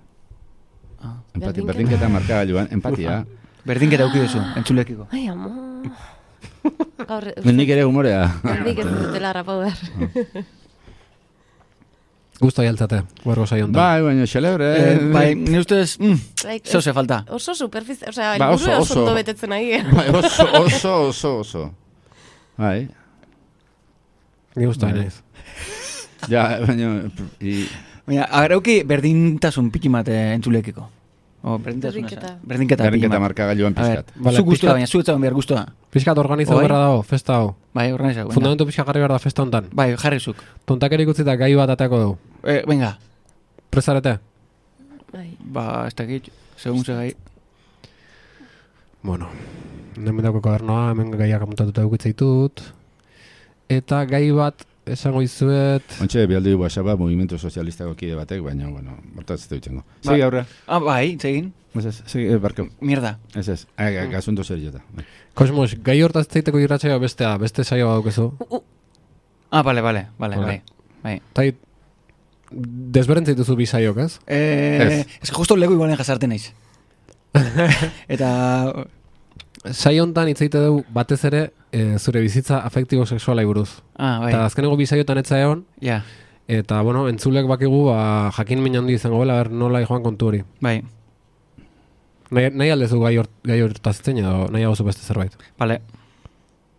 Ah. Empati, berdinketa markagailuan, empatia. Berdinketa uki duzu, entzulekiko. Ai, amo. Nik ere humorea. Nik ez dutela rapau behar. Gusto aialtzate, huergo saiontan. Bai, baina xelebre. Eh, bai, ni ustez, mm, Like, zeu ze falta. Oso superficie, o sea, Ba, el oso, burro oso. oso ondo betetzen nahi. Bai, oso, oso, oso, oso. Bai. Ni gusto hain naiz. Ja, baina... I... Baina, agarauki berdintasun piki mate entzulekiko. O, berdintasun Berdinketa. eza. Berdinketa. Berdinketa piki markagailuan A ver, pizkat. Vale, zu guztua, pixkat- baina zu etzagon behar guztua. Piskat organizau Oi? berra dago, festa hau. Bai, organizau. venga. Fundamentu pixka jarri behar da festa hontan. Bai, jarri zuk. Tontakerik utzita gai bat atako dugu. Eh, venga, Presarete? Bai. ba, ez dakit, segun ze gai. Bueno, hemen dauko kodernoa, hemen gaiak amuntatuta dukitzeitut. Eta gai bat esango izuet... Ontxe, bialdi WhatsAppa Movimiento Sozialistako kide batek, baina, bueno, hortaz ez dutxengo. Segi aurra. Ah, bai, zegin. Ez ez, segi, eh, barko. Mierda. Ez ez, eh, gasunto zer jota. Kosmos, gai hortaz zeiteko irratsaioa bestea, beste saioa daukezu. Ah, bale, bale, bale, Vale. bai. Bai. Tai, desberentzaituzu bi saiok, ez? Eh, ez que justo lego igualen jasarte naiz. Eta, Saio hontan hitz egite dugu batez ere e, zure bizitza afektibo sexualai buruz. ah, bai, Eta azkeneko bi saiotan etza egon, ja, eta bueno, entzulek bakigu ba, jakin min handi izango bela, ber nola joan kontu hori. bai, Nahi, nahi aldezu gai, hort, gai hortaz itzen edo nahi hau beste zerbait? bale,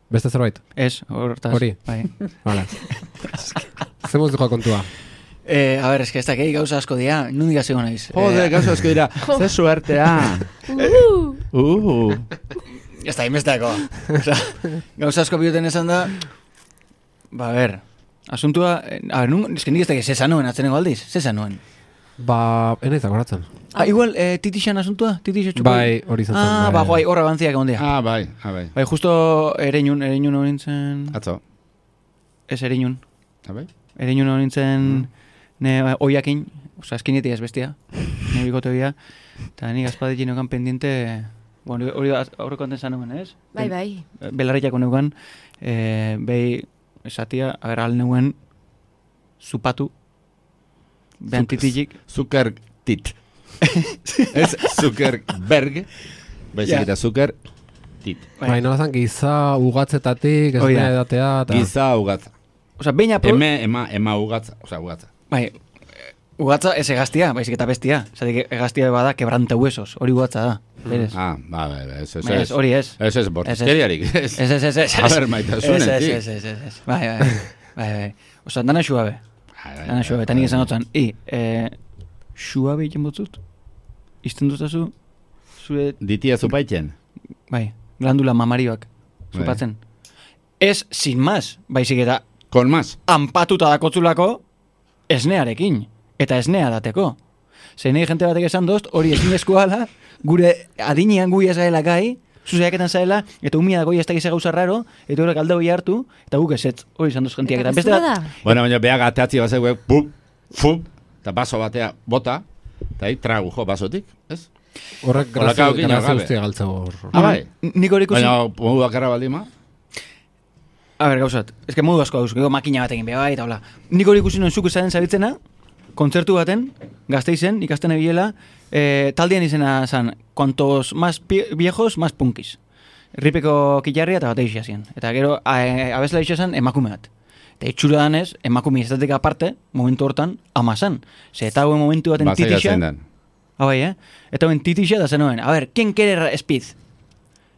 Beste zerbait? ez, hortaz. Hori. Bai. Vale. Zemuz joa kontua. Eh, a ver, es que ez dakei gauza asko dira, nundik azego naiz. Jode, Eh, gauza asko dira, ze suertea. Uh! Uh, Ez da, inbestako. Osa, gauza asko bioten esan da, ba, a ver, asuntua, eh, a ver, nun, es que nik ez dakei, zesa nuen, atzeneko aldiz, zesa nuen. Ba, enaiz akoratzen. Ah, igual, eh, titixan asuntua, titixo txuko. Bai, hori izan zen. Ah, ba, guai, horra bantziak egon dira. ah, bai, ah, bai. Bai, justo ereinun, ereinun hori nintzen, Atzo. ez ereinun, Ah, bai? ereinun hori nintzen, ne, oiakin, oza, eskinetik ez bestia, ne bikote hoia, eta nik azpadekin neukan pendiente, bueno, hori aurreko anten zan nuen, ez? Bai, bai. Belarriako neukan, eh, behi, esatia, a ver, al neuen, zupatu, behan Zuk- titilik, Zucker tit. Ez Zuckerberg, baizik Ja. eta Zucker tit. Bai, nola zan, giza ugatzetatik, ez Hori da. nahi edatea, eta... Giza ugatza. oza, behin apro... Eme, ema, ema ugatza. Osa, ugatza. Bai, eh, ugatza ez egaztia, baizik eta bestia. Zatik egaztia bada quebranta huesos, hori ugatza da. Berez. Ah, ba, ba, ba, ez, ez, Bai, ez, hori ez. Ez, ez, bortizkeriarik. Ez, Ez, ez, ez, ez. A ber, maitasunetik. Ez, ez, ez, ez, ez. Bai, bai, bai, bai. Osa, dana xuabe. Bai, bai, Dana xuabe, eta nik esan otzan. I, eh, xuabe egin botzut? Izten dutazu, zure, Ditia zupaiten. bai, glandula mamarioak, zupatzen. Ez, sin más, baizik eta Con más. anpatuta dakotzulako esnearekin, eta esnea dateko. Zein nahi jente batek esan dozt, hori ezinezkoa ala, gure adinean guia zaela gai, zuzeaketan zaela, eta umia dago ez dakize gauza raro, eta horrek alde hori hartu, eta guk ezetz, hori izan doz gentiak. Eta Eta beste gezurra bat, da. Bueno, baina beha gateatzi bazeuek, pup, fup, eta baso batea bota, eta hi tragu jo basotik, ez? Horrek Hola, grazia kao, gino, grazia gabe. guztia galtza hor. Ah, bai. nik hori ikusi... Baina, modu bakarra baldima, A ber, gauzat, ez que modu asko dauz, gero makina batekin beha bai, eta hola. Nik hori ikusi nuen zuk esaten zabitzena, kontzertu baten, Gasteizen, ikasten ebiela, eh, taldean izena zan, cuantos más pi- viejos, más punkis. Ripeko kilarria eta batei zien. Eta gero, a- abesla izan emakume bat. Eta itxura danez, emakume estatik aparte, momentu hortan, ama zan. Ze eta hauen momentu baten bazai titixa, gatzen den. ah, bai, eh? Eta hauen titixa da zenuen, a ber, ¿quién quiere speed?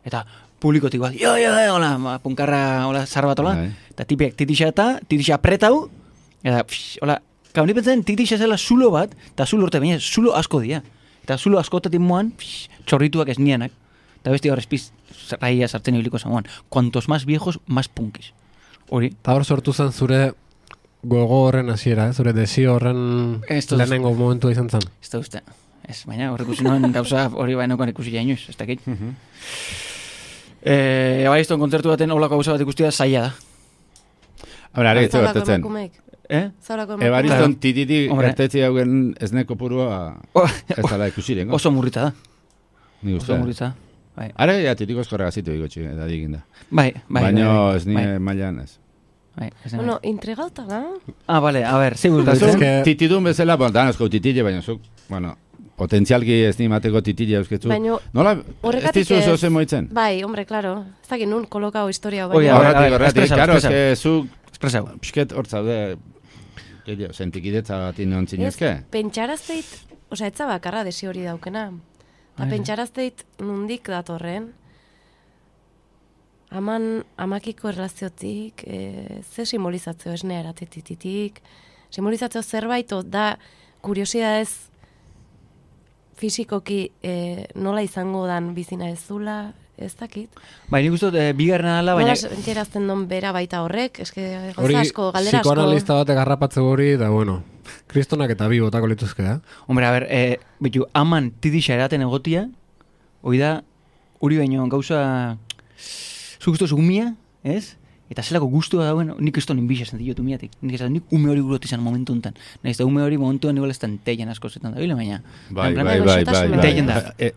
Eta publikotik bat, jo, jo, jo, hola, ma, punkarra, hola, zar bat, hola. Bai. Eta tipiak titixa eta, titixa apretau, eta, psh, hola, kau, ni pentsen titixa zela zulo bat, eta zulo urte, baina zulo asko dira. Eta zulo askotatik moan, psh, txorrituak ez nianak. Eta besti hor espiz, raia sartzen ibiliko zamoan. Cuantos más viejos, más punkis. Hori, Eta hor sortu zen zure gogo horren hasiera, eh? Zure desio horren Ez dut- lehenengo momentu izan zen. ez da uste. Ez, baina horrek ikusi noen gauza hori bainokan ikusi jainoz, ez dakit. Eh, Ebaizton kontzertu baten holako gauza bat ikustia zaila da. Hora, are, ez Zaurako gertatzen. emakumeek. Eh? Zaurako emakumeek. Ebariston tititi Hombre. gertetzi haugen esneko purua O- ez dala ikusirengo. Oso murrita da. Ni Oso uste. murrita da. Bai, Are, ja, titiko eskorra gazitu igotxi, eta diginda. bai, bai. Baina bai, ez ni bai, mailan ez. bai, ez da- Bueno, intrigauta da. Ah, vale, a ver, zegoen. Eta Ez zuk, que- titidun bezala, bon, danozko titile, baina zuk, bueno, potentzialki ez ni mateko titile eusketzu. Baina Nola, ez horregatik dizu ez- zozen moitzen? Bai, hombre, claro. Ez dakit nun kolokao historia Oia, baina. a ver, Horratik, a ver, horratik, espresau, karo, espresau. eske zuk, Espresau. pixket hor zaude, gehiago, sentikidetza bat inon zinezke? Pentsarazteit, osea, etza bakarra desi hori daukena. Eta Bai. pentsarazteit nundik datorren. Aman, amakiko erlaziotik, e, ze simbolizatzeo esnea eratetititik, simbolizatzeo zerbait, o da kuriosidadez fisikoki e, nola izango dan bizina ez zula, ez dakit. Bai, nik uste dut, eh, bigarrena dela, baina... Nola sentierazten don bera baita horrek, eske Hori, gauza asko, galdera asko. psikoanalista batek garrapatze hori, da bueno, kristonak eta bi botako lituzke, eh? Hombre, a ver, eh, bitu, aman tidixa eraten egotia, hoi da, hori baino gauza, zu guztu umia, ez? Eta zelako guztua dauen, nik ez tonin bixa zentillo umiatik. Nik esan, nik ume hori burot izan momentu enten. Nahiz da ume hori momentuan igual ez da enteien asko zetan da, bile, baina. Bai, en plan, bai, bai, bai, bai, goxotasuna. bai. Enteien da. E,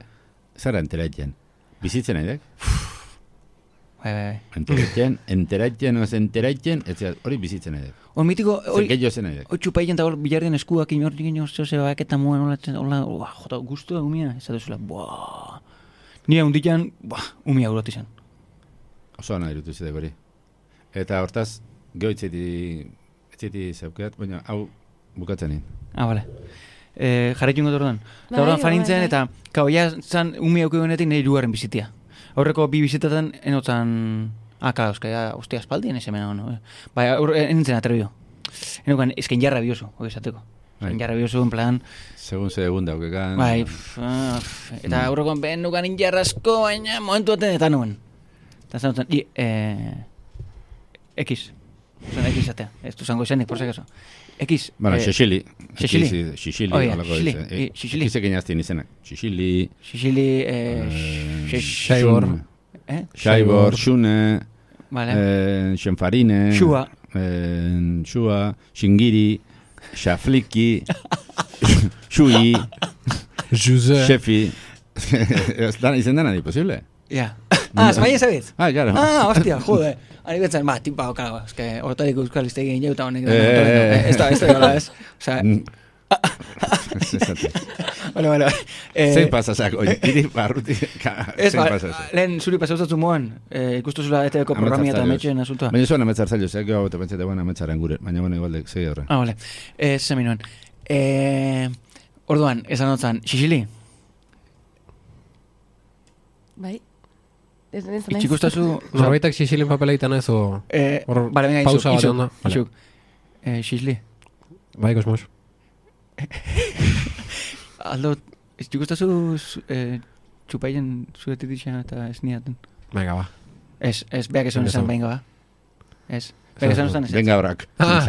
Zara enteratzen. Bizitzen nahi dek? Bai, bai, bai. Enteratzen, enteratzen, oz enteratzen, ez zera, hori bizitzen nahi dek. Hor mitiko, Zer hori, gehiago zen nahi dek. hori txupaien eta hor bilardien eskuak inortik ino zehose baketa muan, hola, hola, hola, jota, guztua umia, ez da duzula, buah. Nire hundikan, buah, umia burot izan. Oso nahi dut izadek hori. Eta hortaz, geho itzeti, itzeti zeukeat, baina hau bukatzen nien. Ah, vale. Eh, jarraitu ingo orduan. Eta Bai, orduan bai, fanintzen, bai. eta, kau, ja, zan, umi auki genetik nahi irugarren bizitia. Aurreko bi bizitatan, enotzan, ah, kala, euska, ja, ostia, espaldien ez hemen, no? Bai, aurre, enintzen atrebio. Enokan, esken jarra bioso, hori esateko. Bai. Esken jarra bioso, en plan, Segun ze egun daukekan. bai, pff, ah, pff, eta aurrekoan ben nukan injarrasko, baina momentu baten eta nuen. Eta zan dutzen, i, eh, X. Zuen X atea, ez du zango izanik, por si acaso. X. Bueno, eh, Xixili. Xixili. Xixili. Xixili. Oh, ja, holako Xixili. dice. I- Xixili. Xixili aztien izenak. Xixili. Xixili, eh, eh, xex- Xaibor. Xun- eh? Xaibor, Xune, Vale. eh, Xenfarine. Xua. eh, Xua, Xingiri, Xafliki, Xui, Juse. Xefi. Ez da- Izen dena di posible? Ja. Ah, España sabez? Ah, claro. Ah, hostia, jode. Ani betzen, ba, tipa, okago, es que hortarik euskal iztegi egin jauta honek. Eh, eh, eh. Ez da, ez da, gola, ez. Osa, Mm. Zesate. bueno, bueno. eh, Zein pasazak, oi, iri barruti, ka- Ez, zein ba, pasazak. lehen zuri pasautatu moan, eh, ikustu zula E T V-ko programia eta Ametsa metxen asuntoa. Baina zuen ametzar zailo, zeak gau eta pentsate buena ametzaren gure, baina bueno, igual de, segi horren. Ah, vale. Eh, zemi nuen. Eh, orduan, esan notzan, Xixili, Bai. Ez ez naiz. itxikustazu... Norbaitak xixilin papela egiten ez, o... Eh, Hor vale, venga, pausa izuk, bat izuk, onda. Vale. izuk. Eh, Xixili, Bai, kosmos. aldo, itxikustazu eh, txupaien zuetik dixan eta esniaten. Venga, ba. Ez, ez, beak esan esan, venga, ba. Ez. Beak esan esan, ez. Venga, brak. Ah,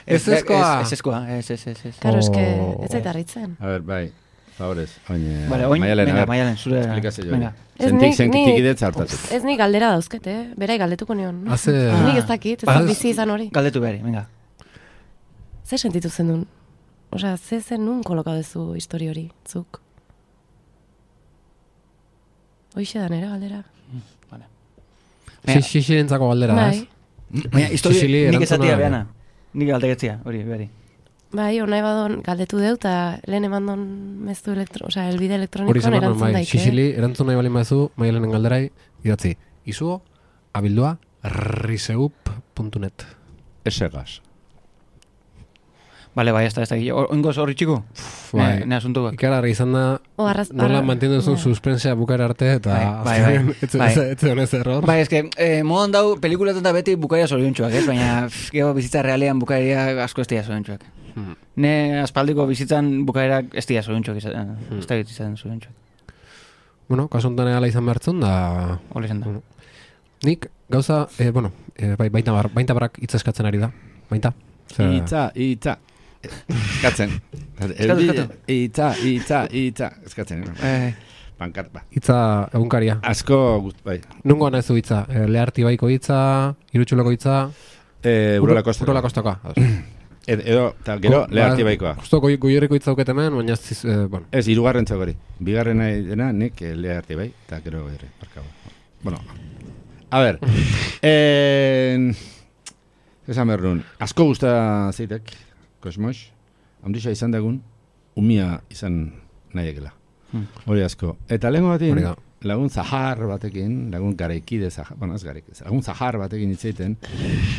ez ezkoa. Ez ezkoa, ez, ez, ez, ez. Karo, eske, Oh. ez zaita harritzen. A ver, bai, favorez. Oin, Vale, oin, Maialen, venga, a ver, Maialen, zure. esplikazio hori. Venga. Ez Zentik, nik- zentik nik- idetza hartatik. Ez nik galdera dauzket, eh? Berai galdetuko nion. Haze... Nik ez dakit, ez Ah, da bizi izan hori. Galdetu behari, venga. Ze sentitu zen duen? Osea, ze zen nun kolokau duzu histori hori, zuk? Hoixe da nera galdera. Vale. Xixilientzako galdera, Bai, ez? Baina, historia, Sicily nik erantzuna- esatia behana. Nik galdegetzia, hori, behari. bai, onai badon galdetu deu, eta lehen emandon mezu elektro, osea, elbide Hori elektronikoan zen erantzun bai, daike. Xixili erantzun nahi balin bazu, Maialenen galderai, idatzi, izugo, abildua, riseup puntu net. Esegaz. Vale, bai, ez da, ez da. Oingoz horri txiko? Bai. Ne, ne asuntuak. Ikararri izan da, O, arraz, nola arra- mantendu duzun bai. suspensea bukara arte, eta Bai, bai, azkenean bai, ez- bai. ez- ez zegoen ez error. Bai, eske, eh, modan dau, pelikulaten da beti bukaria zoriontxoak, ez? Baina, pff, gero bizitza realean bukaria asko ez dira zoriontxoak. Hmm. Ne aspaldiko bizitzan bukaerak ez dira zoriontxoak, ez da izan zoriontxoak. Bueno, kasu honetan ala izan behartzen, da... Hole izan da. Bueno. Nik, gauza, eh, bueno, eh, bai, baita, bar, baita barak hitz eskatzen ari da. Baita. Zer- Itza, itza. Eskatzen. Eskatu, eskatu. Itza, itza, itza. Eskatzen. Eh, Pankart, ba. Hitza egunkaria. Asko, gust, bai. Nungo nahizu hitza? E, Leharti baiko hitza, irutxuloko hitza... Eh, Urola Kosta. Urola Kostakoa. Ed, edo, eta gero, leharti baikoa. Justo goi, goierriko hitza auket hemen, baina ez, eh, bueno. Ez, hirugarren txagori. Bigarren nahi dena, nik eh, leharti bai, eta gero goierri. Barkabo. Bueno, a ver. eh, esan behar nun, asko gusta zeitek, Kosmos, hamdisa izan dagun, umia izan nahiekela. Hmm. Hori asko. Eta lehenko batin, Hori da. lagun zahar batekin, lagun garaikide zahar, bueno, ez garaik, lagun zahar batekin hitzeiten,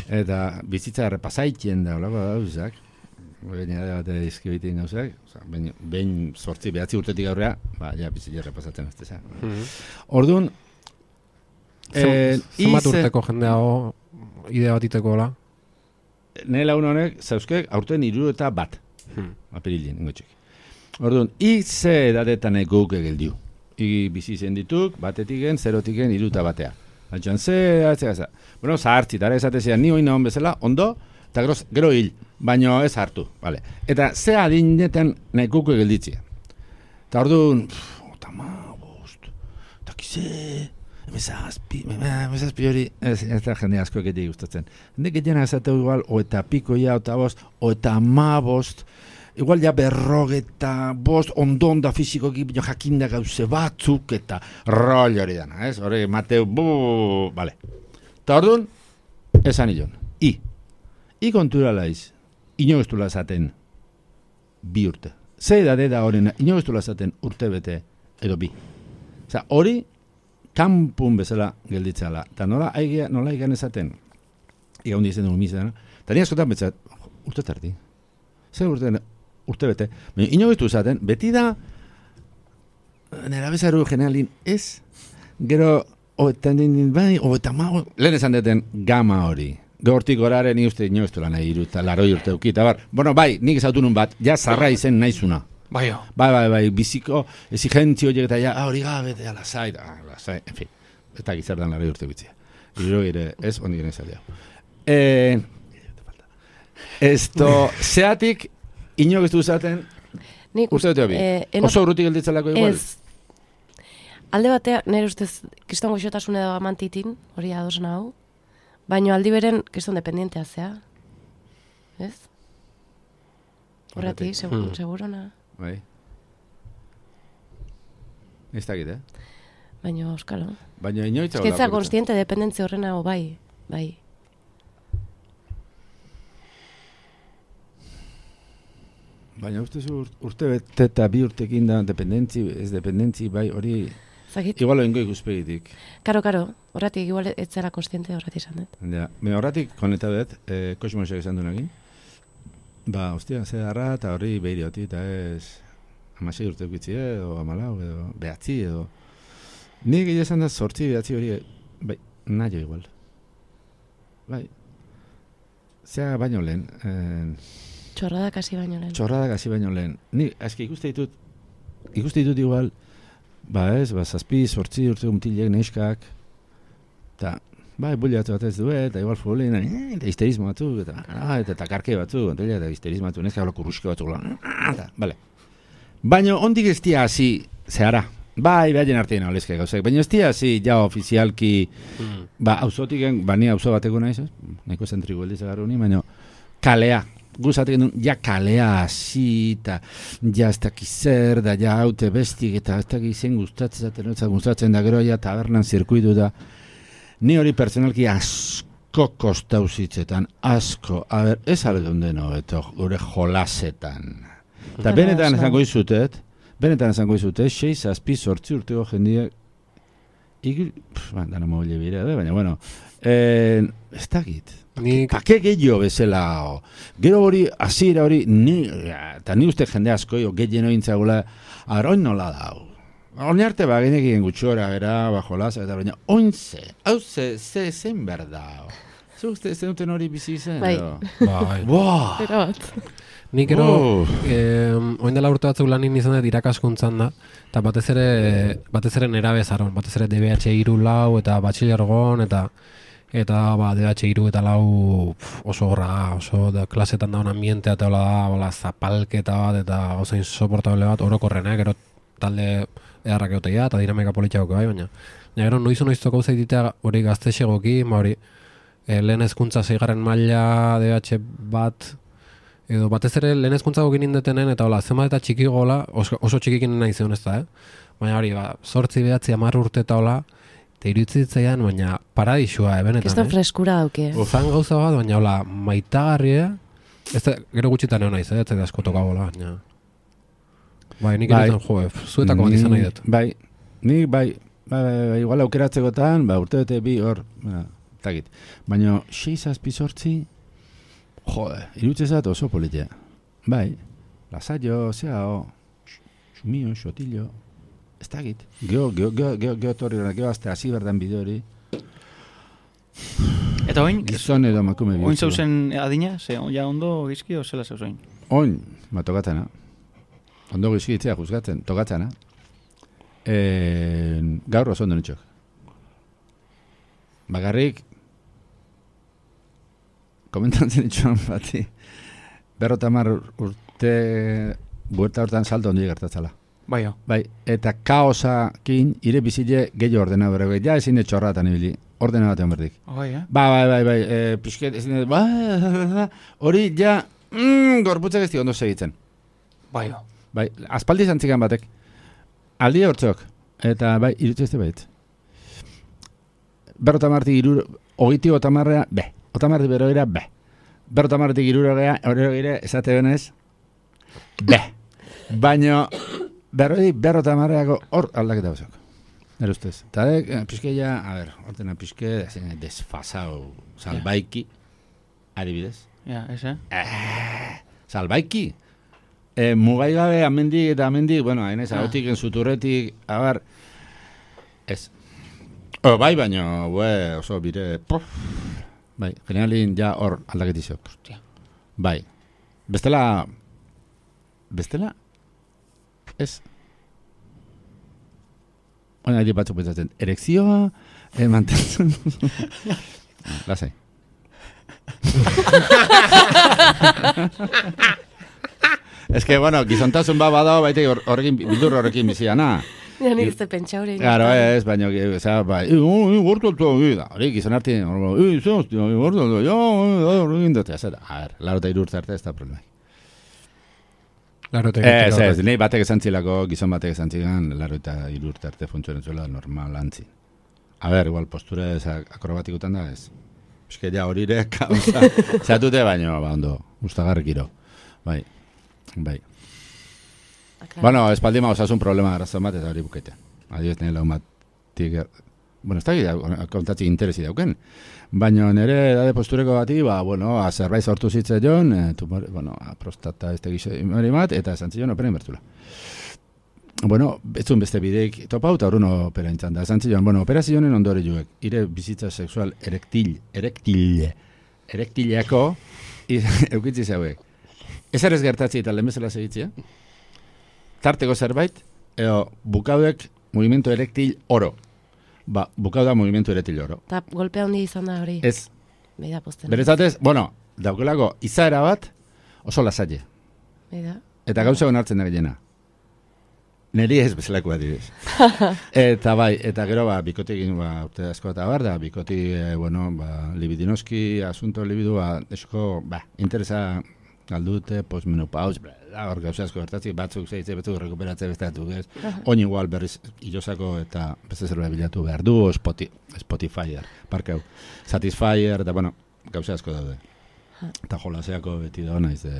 eta bizitza errepasaitien da, olako gauzak, baina da bate izkibitien gauzak, oza, behin, behin sortzi, behatzi urtetik aurrea, ba, ja, bizitza errepasatzen ez teza. Orduan, eh, Zenbat ize- urteko jendeago idea bat iteko hola? Nire lagun honek, zauzkek, aurten hiru eta bat, Hmm. apirilien, ingotxek. Orduan, ize edatetan eguk egildiu. I bizi zen dituk, batetiken, zerotiken, hiru eta batea. Altxan, ze, atze gaza. Bueno, zahartzi, tara esatezean, ni oina hon bezala, ondo, eta gero, gero hil, baino ez hartu, vale. Eta ze adinetan nahi guk egilditzia. Eta orduan, eta ma, bost, eta kize, emezazpi, emezazpi hori, ez, ez da jende asko egetik gustatzen. Jende getiena esateu igual, o eta piko ja, eta bost, o eta ma bost, igual ja berrogeta bost, ondon da fizikoki, bino jakinda gauze batzuk, eta rol hori dana, ez? Hori, Mateu, bu, vale. Eta orduan, esan ilon, i, i kontura laiz, inogestula zaten bi urte. Ze edade da horrena, inogestula zaten urte bete edo bi. Osa, hori, kanpun bezala gelditzala. Eta nola, aigia, nola igan ezaten, iga hundi izen dugu mizena, eta nire askotan betzat, urte tardi. Zer urte, urte bete. Baina inogestu zaten, beti da, nera bezaru generalin ez, gero, oetan din, bai, oetan mago, lehen esan deten gama hori. Gortik goraren ni uste inogestu lan nahi iruta, laroi urte ukita, bar. Bueno, bai, nik ezautu nun bat, ja zarra izen naizuna. bai, jo. Bai, bai, bai, biziko, exigentzio horiek eta ja, ah, hori gabe, eta lasai, ah, lasai, en fin, eta gizardan laroi urte bitzia. Iro ere, ez, ondik gene zaldea. Eh, esto, zeatik, inogestu zaten, Nik uste dut bi. eh, eno- Oso urrutik gelditzelako igual? Ez. Alde batea, nire ustez, kriston goxotasune da amantitin, hori adosan hau, baino aldi beren kriston dependientea zea. Ez? Horretik, segur, Hmm. segurona. Bai. Ez dakit, eh? Baina, euskalo. Baina inoitza Eskitza konstiente dependentzia horrena, o bai, bai. Baina uste zu ur- urte bete eta bi urtekin da dependentzi, ez dependentzi, bai, hori, Zagit, igual oingo ikuspegitik. karo, karo, horretik igual ez zera konstiente horretik izan dut. Ja, me horratik koneta dut, eh, Kosmosek esan duenakin. Ba, ostia, ze darra, eta hori behiri hoti, eta ez amasei urte ukitzi edo amalau, edo behatzi, edo... Nik egia esan da sortzi behatzi hori, bai, nahi igual. Bai, zea baino lehen, eh, Txorrada kasi baino lehen. txorrada gazi baino lehen. Ni, eski ikuste ditut, ikuste ditut igual, ba ez, ba, zazpi, sortzi urte mutilek, neskak, eta bai, buliatu bat ez du, eta igual futbolin, eta histerismo batzuk, eta, ah, eta, eta karke batzuk, eta, eta histerismo batzuk, neska gala kurruske batzuk, eta, bale. Baina, ondik ez tia hasi, zehara, bai, behaien artean olezke gauzak, baina ez tia hasi, ja, ofizialki, mm. ba, auzotiken, ba, ni auzo bateko naiz, nahiko zentrigu eldiz agarru ni, baina, kalea, guzatik duen, ja kalea hasi, eta ja ez dakiz zer, da ja haute bestik, eta ez dakiz zen gustatzen, gustatzen da gero, ja tabernan zirkuitu da, ni hori pertsonalki asko kostau zitzetan, asko, a ber, ez aldun deno, eto, gure jolasetan. Eta benetan esango izutet, benetan esango izutet, sei zazpi sortzi urtego jendiak, ikil, ba, dana mogile bire, baina, bueno, eh, ez dakit. Nik... Pake gehiago bezala, o. Gero hori, hasiera hori, ni, eta ni uste jende asko, jo, gehiago intzagula, arroin nola da, o. Horne arte ba, genekien gutxora, era, bajo lasa, eta baina, oinze, hau ze, ze, zen berda. Zu uste, zen duten hori bizi zen, bai. Bai. Boa! Pero bat. Nik ero, eh, oin dela urte batzuk lanin izan dut irakaskuntzan da, eta batez ere, batez ere nera bezaron, batez ere D B H hiru lau, eta batxilergon, eta eta ba, D B H hiru eta lau pf, oso horra, oso da, klasetan daun ambientea, eta hola da, hola, zapalketa bat, eta oso insoportable bat, orokorrenak, gero talde eharrak euteia, eta dinamika politxako bai, baina ja, gero noizu noiztoko zaititea hori gaztexegoki, ma hori e, lehen hezkuntza zeigarren maila D B H bat, edo batez ere lehen hezkuntza gokin indetenen, eta hola, zenbat eta txiki gola, oso, oso txikikin nahi zeun ez da, eh? Baina hori, ba, sortzi behatzi amar urte eta hola, eta iruditzen baina paradisua, eh, benetan, Kiston eh? freskura dauke. Zan gauza bat, baina hola, maitagarria, ez da, gero gutxitan egon naiz, eh? Ez da asko tokagola, baina... Bai, nik bai. erotan, jo, zuetako bat izan nahi dut. Bai, nik bai, bai, bai, bai, igual aukeratzekotan, ba, urte bete bi hor, ba, takit. Baina, sei zazpi sortzi, jode, irutzezat oso politia. Bai, lasaio, zeao, xumio, xotillo, ez takit. Geo, geo, geo, geo, geo torri, geo azte hasi berdan bide hori. Eta oin, Gizon edo makume bihurtzeko. oin zauzen adina, ze ja ondo gizki, o zela zauzen? Oin, ma tokatzena. Ondo gizkitzea juzgatzen, tokatzena. E, gaur oso ondo nitxok. Bagarrik, komentatzen nitxoan bati, berrotamar urte, buerta hortan salto ondo gertatzala. Bai, jo. Bai, eta kaosakin ire bizile gehiago ordena bere, ja ezin etxorratan ibili, ordena batean berdik. Bai, eh? Ba, bai, bai, bai, e, pixket, ezin dut, ba, hori ja, mm, gorputzak ez ondo segitzen. Bai, jo. Bai, aspaldi zantzikan batek. Aldi hortzok. Eta bai, irutu ez da baita. Berrotamartik iruro, ogiti otamarrea, be. Otamartik berogira, be. Berrotamartik iruro gea, hori gire, esate benez, be. Baina, berroi, berrotamarreako hor aldaketa bezok. Nere ustez. Eta eh, pixkeia, a ber, hortena pixke, desfasau, salbaiki, adibidez. Ja, ez, eh? Eh, salbaiki. E, mugai gabe amendik eta amendik, bueno, hainez, Ah. ahotik, enzuturretik, abar, ez. O, bai, baina, bue, oso bire, pof, bai, generalin ja hor aldaketizok. Hostia. Bai, bestela, bestela, ez. Oina, hiri batzuk pentsatzen, erekzioa, eh, mantentzen, lasai. Ez que, bueno, gizontasun ba badao, baite horrekin, bildur horrekin biziana. Ja, nik ez da pentsa hori. Claro, ez, baina, oza, bai, gortu da, hori, gizon arti, hori, zozti, gortu altu, jo, horrekin dut, ez, a ver, laro eta irurtze arte ez da problema. Laro eta Ez, irurte ez, nahi batek esantzilako, gizon batek esantzigan, laro eta irurtze arte funtzionen zuela normal antzi. A ver, igual, postura ez akrobatikutan da, ez. Eske ja hori ere, kauza, zatute baino, ba, ondo, gustagarrikiro, bai. Bai. Bueno, espaldi ma osasun problema arrazon bat eta hori bukete. Adibidez nire lau matik... Bueno, ez da kontatzi interesi dauken. Baina nire edade postureko bati, ba, bueno, a zerbait sortu zitze joan, e, tumor, bueno, a prostata ez tegize imari bat, eta esan zion operen bertula. Bueno, betzun beste bideik topau eta horren opera intzan da. Esan zion, bueno, operazionen ondore juek, ire bizitza sexual erektil, erektil, erektileako, eukitzi zeuek. Ez errez gertatzi eta lehen bezala segitzea. Tarteko zerbait, edo bukauek movimento erektil oro. ba, bukau da mugimendu eretiloro. Eta golpea handi izan da hori. Ez, Beida posten. berezatez, bueno, daukelako izaera bat oso lasaile. Beida. Eta gauza onartzen da gehiena. Neri ez bezalako adibidez. Eta bai, eta gero ba, bikotekin ba, urte asko eta bar, da bikoti, eh, bueno, ba, libidinoski, asunto libidu, ba, esko, ba, interesa galdute, postmenopaus, bla, da, hor gauza asko gertatzik, batzuk zeitze, batzuk rekuperatze bestatu, ez? Oin igual berriz ilosako eta beste zerbait bilatu behar du, Spoti, Spotifyer, parkeu, Satisfyer, eta bueno, gauza asko daude. Eta jolaseako beti da naiz de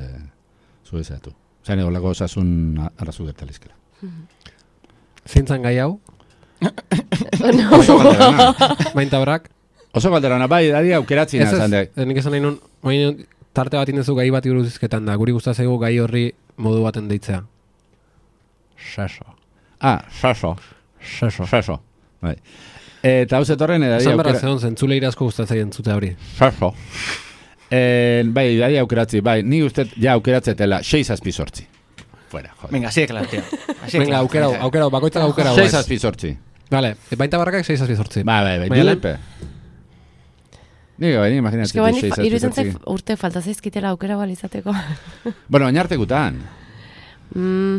zuezatu. Zain egolako osasun arrazu gertalizkela. Zintzan gai hau? Oso galderana. Bainta horak? Oso galderana, bai, dadi aukeratzen Ez ez, azan dek. nik esan nahi nun, oin tarte bat indezu gai bat buruz hizketan da, guri gustatzaigu gai horri modu baten deitzea. Seso. Ah, saso, Seso. saso. Bai. Eta hau zetorren, edadi Esan berra aukera... zeon zentzule irazko gustatzaien zute hori. Saso. Eh, bai, dadi aukeratzi, bai, ni uste ja aukeratzetela, sei zazpi sortzi. Fuera, joder. Venga, así de claro, tío. Así de Venga, claro. aukera, aukera, bakoitzak aukera. sei zazpi sortzi. Vale, bainta barrakak sei zazpi zortzi. Bai, bai, bai, Baina dilepe. Nik, bai, ni Eske imaginatzen baini sei zazpi iruditzen sortzi. zait urte falta zaizkitela aukera bal izateko. Bueno, oinartekutan. mm.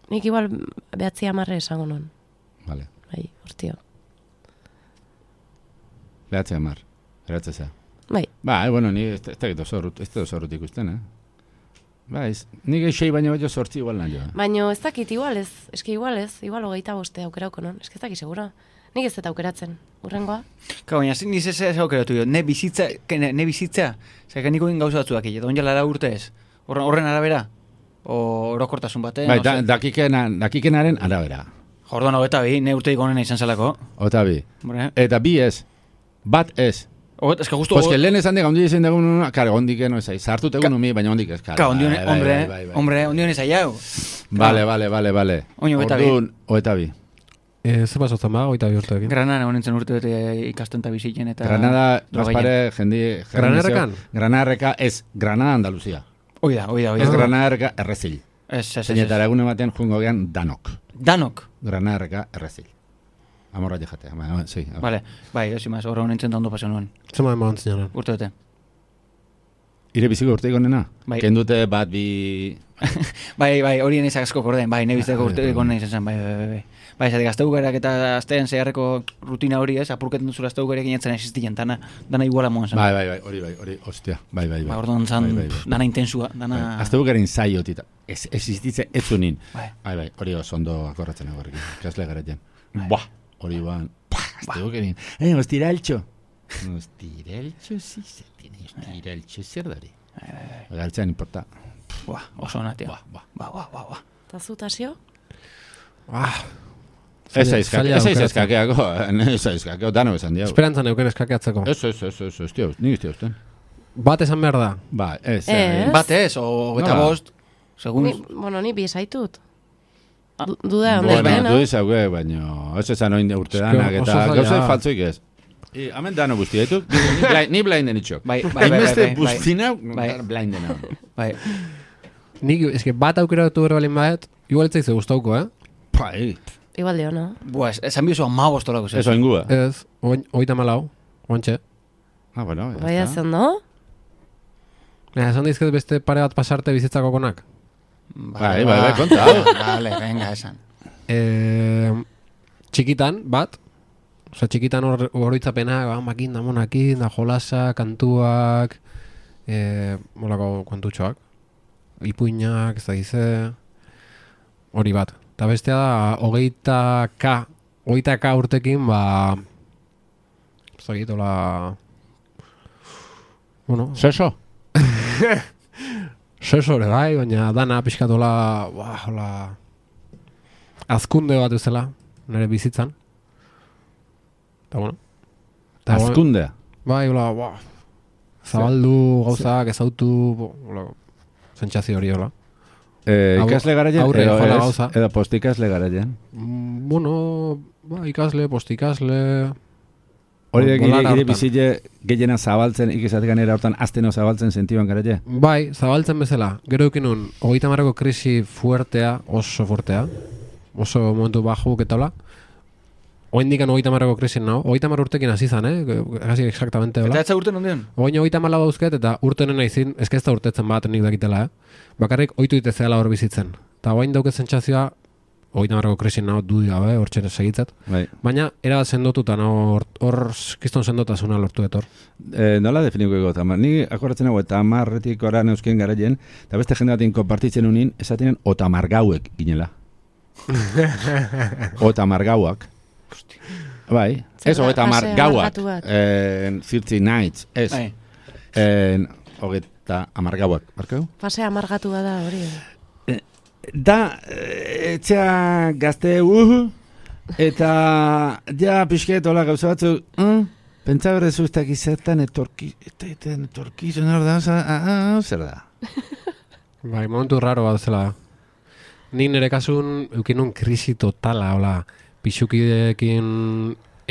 Nik igual behatzi amarre esango non. Vale, Bai, urtio. behatze amar. Eratzeza. Bai, Bai, bueno, ni ez da gito zorrut, ez da zorrut ikusten, eh? Bai, ez- nik sei baino baino sortzi igual nahi joa. baino ez dakit igual ez, eske igual ez, igual hogeita boste aukerauko non, eske ez dakit segura. Nik ez dut aukeratzen, urrengoa. Ka, baina, ni ze ze aukeratu jo, ne bizitza, que ne, ne bizitza, zeka niko egin gauza batzuak, eta onja lara urte ez. Horren, horren arabera? O orokortasun baten? Bai, no da, sé. dakikena, dakikenaren arabera. Jordon, hogeta bi, ne urteik onena izan zelako. Ota bi. Hombre, Eta bi ez. Bat ez. hoget, eske justu... Pues que lehen esan dega, ondi izan dugun, kar, ondik no ez aiz. Sartu tegun umi, baina ondik ez, kar. Ka, ondion, Bai, bai, hombre, bai, bai, bai. hombre, ondion ez aiau. Vale, vale, vale, vale. Oin hogeta bi. Orduan, hogeta bi. E, ze pasotzen ba, goita bi urteekin. Granada honen zen urte bete ikasten eta bizitzen eta... Granada, Drogaien. Gaspare, jendi... Granarrekan? Granarreka, ez, Granada Andaluzia. Oida, oida, Ez oida. Granarreka errezil. Ez, ez, ez. Zeinetara egune batean jungo gean danok. Danok. Granarreka errezil. Amorra jatea. Ba, sí. Vale, bai, ez imaz, horra honen zen da ondo paseo nuen. Zema eman zinanen. Urte bete. Ire biziko urteik onena? Bai. Kendute bat bi... Bai, bai, horien izak asko korden, bai, nebizteko Ah, urte bai. gonen izan zen, bai, bai, bai, bai. Bai, zatik, azteugarak eta aztean zeharreko rutina hori ez, apurketan duzula azteugarak inetzen existien, dana, dana iguala moan zen. Bai, bai, bai, hori bai, hori, ostia, bai, bai, bai. Ba, orduan zan, Bai, bai, bai. pff, dana intensua, dana... Bai. Azte bukarin zaiotita. Ez, existitze ez zunin. Bai. Bai, bai, hori oso ondo akorratzen egorrekin. Kasle garatzen. Buah, hori ban. Azte bukarin. Eh, ostiraltxo. Ostiraltxo, si, se tiene ostiraltxo zer dari. Galtzean importa. Buah, oso ona, tio. Buah, buah. Buah, buah, buah, buah. Eta zu, Tasio? Ah, Ez aizkak, zaila ez aukeratzen. aizkakeako, ez aizkakeo, dano esan diau. Esperantzan euken eskakeatzeko. Ez, ez, ez, ez, ez, tio, nik izte usten. Bat esan behar da. Ba, ez, Ez. eh, Bat ez, o eta Nola? bost, segun... Ni, bueno, ni bi esaitut. Ah. Du- Duda, Bueno, onde, du izauke, baina ez esan oin urte danak oso eta zaila. gauza faltzoik ez. I, hamen dano guzti, etu? Ni blind- Ni blinden itxok. Bai, bai, bai, bai, Hainbeste bai, bai. buztina, Bai. blinden hau. Bai, Nik, eske bat aukeratu bero balin baet, igual etzaiz gustauko, eh? Pai, Igual dio, no? buah, ez- esan bizu ama bostolako, ez oingua. Ez, oin, oita malau, oantxe. Ah, bueno, ya Bai, está. zen, no? Baina, esan dizket beste pare bat pasarte bizitzako konak. Bai, bai, bai, konta. Vale, venga, esan. E, txikitan, bat, oza, txikitan hor horoitzapena, ba, makin da monakin, da jolasa, kantuak, e, molako kontutxoak, ipuinak, ez da gize, hori bat. Eta bestea da, hogeita ka, hogeita ka urtekin, ba, ez da git, hola, bueno, Seso? sesore bai, baina dana pixkatola, ba, hola, azkunde bat bezala, nire bizitzan. Eta bueno. Eta, bueno, Azkundea. bai, hola, ba, zabaldu gauzak, ezautu, bo, hola, sentsazio hori hola. Eh, Hau- ikasle garaien, aurre edo joala ez, gauza. edo postikasle garaien. Mm, bueno, ba, ikasle, postikasle, Hori da, Bolara gire, gire hortan. bizile gehiena zabaltzen, ikizatik ganera hortan azteno zabaltzen sentiban garaie. bai, zabaltzen bezala. Gero eukin nun, hogeita marreko krisi fuertea, oso fuertea, oso momentu bajuk eta hola, Oin dikan hogeita marreko krisin nao, hogeita mar urtekin hasi zan, eh? Hasi exactamente, hola. Eta etza urten ondion? Oin hogeita mala dauzket, eta urtenen naizin, ez ez da urtetzen bat nik dakitela, eh? Bakarrik oitu itezeala hor bizitzen. Eta oin dauket sentsazioa, hogeita marreko krisin nao dudi gabe, hor txene segitzat. Bai. Baina, era bat sendotuta, no, hor, hor kiston sendotasuna lortu etor. E, nola definiko ego, tamar. Ni akordatzen hau, eta amarretik ora neuzken garaien, eta beste jende batin konpartitzen unin, esatinen otamargauek ginela. Otamargauak. Bai, ez hogeita hamar gauak, en thirty nights, ez, Bai. en hogeita hamar gauak, barkau? Fase amargatu da hori. Da, eh, etxea gazte uhu, eta ja pixket hola gauza batzu, uh, pentsa berrezu ez dakiz zertan etorki, eta etorkizun hor da, ah, zer da? Bai, momentu raro bat zela. Nik nire kasun eukinun krisi totala, hola, pixukideekin,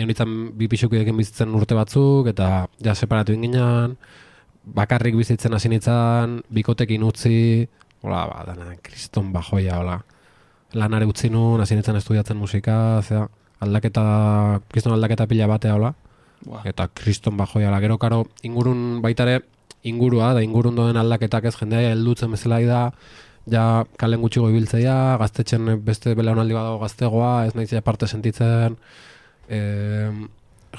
eunitzen bi pixukideekin bizitzen urte batzuk, eta ja separatu inginan, bakarrik bizitzen hasi nintzen, bikotekin utzi, hola, ba, dana, kriston bajoia, hola. Lanare utzi nun, hasi nintzen estudiatzen musika, zera, aldaketa, kriston aldaketa pila batea, hola. Wow. Eta kriston bajoia, hola, gero, karo, ingurun baitare, ingurua, da ingurun doen aldaketak ez jendea heldutzen bezala da, ja kalen gutxigo ibiltzeia, gaztetxen beste belaunaldi badago gaztegoa, ez nahiz parte sentitzen, e,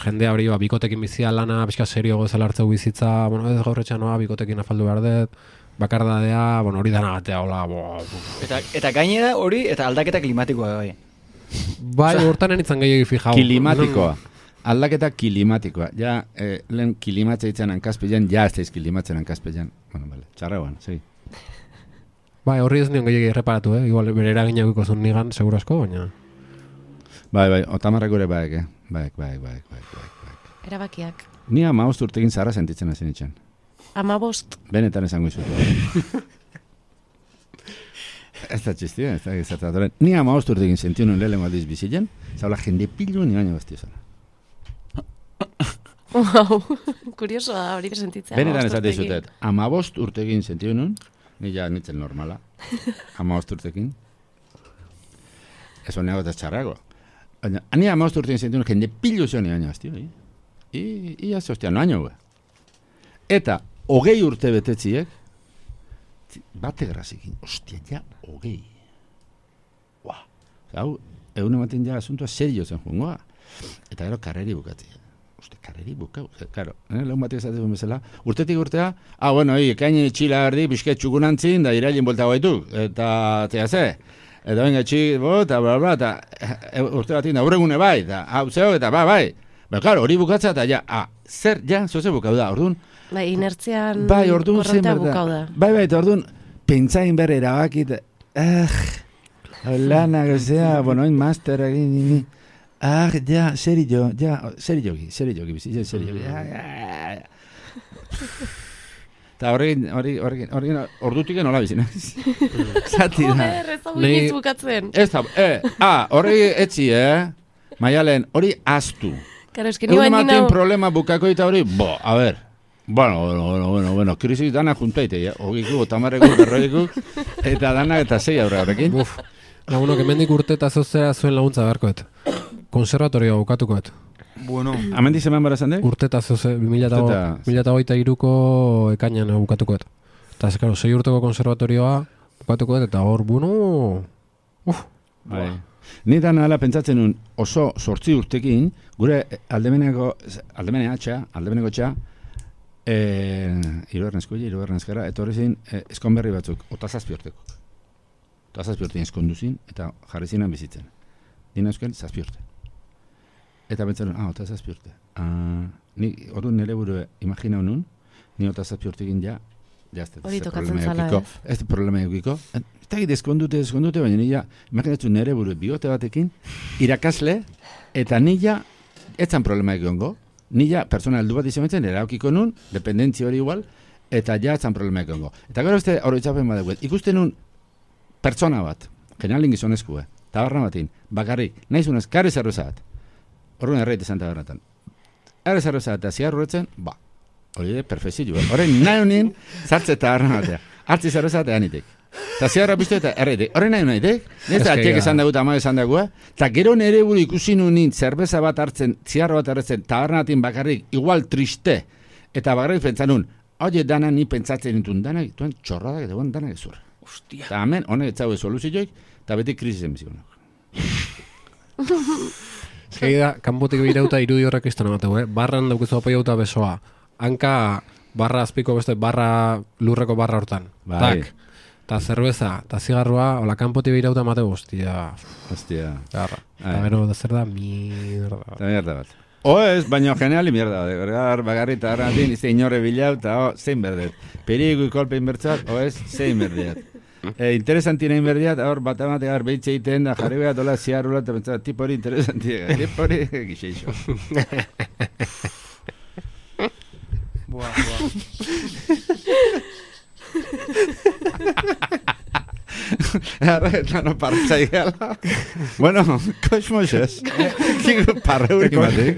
jendea hori ba, bikotekin bizia lana, pixka serio gozela hartzeu bizitza, bueno, ez gaur etxan noa, bikotekin afaldu behar dut, bakardadea, bueno, hori danagatea, hola, bo, Eta, eta gainera hori, eta aldaketa klimatikoa bai. bai, hortan enitzen gehiagi fijau. Kilimatikoa. Aldaketa kilimatikoa. Ja, eh, lehen kilimatze ditzen hankazpilean, ja ez daiz kilimatzen hankazpilean. Bueno, vale, txarrauan, segi. Bai, horri ez nion gehiagi erreparatu, eh? Igual, bere eragina guiko zuen nigan, seguro asko, baina... Bai, bai, otamarrak gure baek, eh? Baek, baek, baek, baek, baek. Erabakiak. Ni amaost urtekin zara sentitzen hasi nintzen. Amabost. Benetan esango izut. Ez da txistia, ez da gizartatoren. Ni amaost urtekin sentiu nun lehen aldiz bizitzen, zaula jende pilu ni baino baztio zara. Wow, kurioso da hori sentitzea. Benetan esate izutet, amabost urtekin sentiu nun, ni ja nitzen normala, amabost urtekin. Ez honeago eta txarrago. Baina, ni amabost urtekin sentiu nun, jende pilu zion ni baino baztio, i? I, ia ze hostia, noaino gue. Eta, hogei urte betetziek, bate grazikin, ostia, ja, hogei. Ua, hau, egun ematen ja asuntua serio zen jungoa. Eta gero karreri bukatzea. Uste, karreri bukau. Claro, eh, lehun batek esatzen bezala. Urtetik urtea, ah, bueno, hi, ekaini txila erdi, bisket txukunantzin, da irailin bolta gaituk. Eta, tea ze, eta venga txik, bo, eta bla, bla, eta e, urte batin da, urregune bai, eta hau zeo, eta ba, bai. Ba, claro, hori bukatzea, eta ja, ah, zer, ja, zoze bukau da, orduan. Bai, inertzian bai, orduan zen korrontea berda. bukau da. Bai, bai, eta orduan, pentsain berre erabakit, eh, lana, gozea, bueno, hain master egin, nini. Ah, ja, serio, ja, serio jogi, serio jogi, bizi, serio jogi. Eta horrekin, horrekin, horrekin, ordutik nola bizi, nahiz? Zati da. Joder, ez hau iniz bukatzen. Ez da, eh, ah, horri etzi, eh? Maialen, hori aztu. Karo, eski ni Egun bain ematen nau... problema bukako eta hori, bo, a ver. Bueno, bueno, bueno, bueno, bueno, krisi dana juntaite, ja? Ogiku, otamarreku, berroiku, eta dana eta zei aurre horrekin. Uf, lagunok, hemendik urte eta zozera zuen laguntza beharkoet. Konservatorioa bukatukoet. Bueno. Hemen dizeman bara zande? Urte eta zoze, bi mila hogeita hiruko ekainan bukatukoet. Eta ez, karo, sei urteko konservatorioa bukatukoet, eta hor, bueno... Uf, bai. Ni da nahala pentsatzen nun oso sortzi urtekin, gure aldemeneko, aldemene atxa, aldemeneko txa, e, irugarren eskuila, irugarren eskara, eta horri zin, e, eskonberri batzuk, ota zazpi urteko. Ota zazpi urtein eskonduzin, eta jarri zinan bizitzen. Dina euskal, zazpi urte. Eta pentsatzen, ah, ota zazpi urte. Ah, ni, orduan nire buru imaginau nun, ni ota zazpi urtekin ja, jazte, Hori tokatzen zala, ez? Ez problema eukiko. Eta egit eskondute, eskondute, baina nila, imaginatzu nire buru bigote batekin, irakasle, eta nila, etzan problema egongo. Nila, persona heldu bat izametzen, eraukiko nun, dependentzi hori igual, eta ja etzan problema egongo. Eta gero beste hori txapen badeguet, ikusten nun pertsona bat, generalin gizonezkue, tabarra batin, bakarrik, nahizunez, kare zerrozat. Horren erreit esan tabarratan. Kare zerrozat eta ziarro horretzen, ba, hori de, perfezio. Horren nahi honin, zartze tabarra batea. Artzi zerrozat eanitek. Eta ziarra piztu eta erreite, horren nahi nahi, ez da atiek esan dugu eta ama esan dugu, eta gero nere buru ikusi nunin zerbeza bat hartzen, ziarra bat hartzen, tabernatin bakarrik, igual triste, eta bakarrik pentsan nun, oie dana ni pentsatzen nintun, dana dituen txorradak eta guen dana gezur. Ostia. Eta hemen, honek etzaue soluzioik, eta beti krisisen bizikonak. Eskegi da, kanpotik birauta irudi horrek izan amateu, eh? Barran daukizu apoiauta besoa. Hanka barra azpiko beste barra, lurreko barra hortan. Bai. Tak. Ta zerbeza, ta zigarroa, hola kanpotik birauta amateu, hostia. Hostia. Garra. Eta gero da zer da, mierda. Eta mierda bat. O ez, baina generali mierda bat. Bergar, bagarri eta garratin, izte inorre bilau, eta o, zein berdet. Perigo ikolpe inbertzat, o ez, zein berdet. E, interesantina inberdiat, hor bat amatea gar behitze egiten da, jarri behar dola ziarrula, eta pentsat, tipo hori interesantia, tipo hori gixeixo. Buah, buah. Eta no partzai gala. Bueno, kosmosez. Parreurik batik.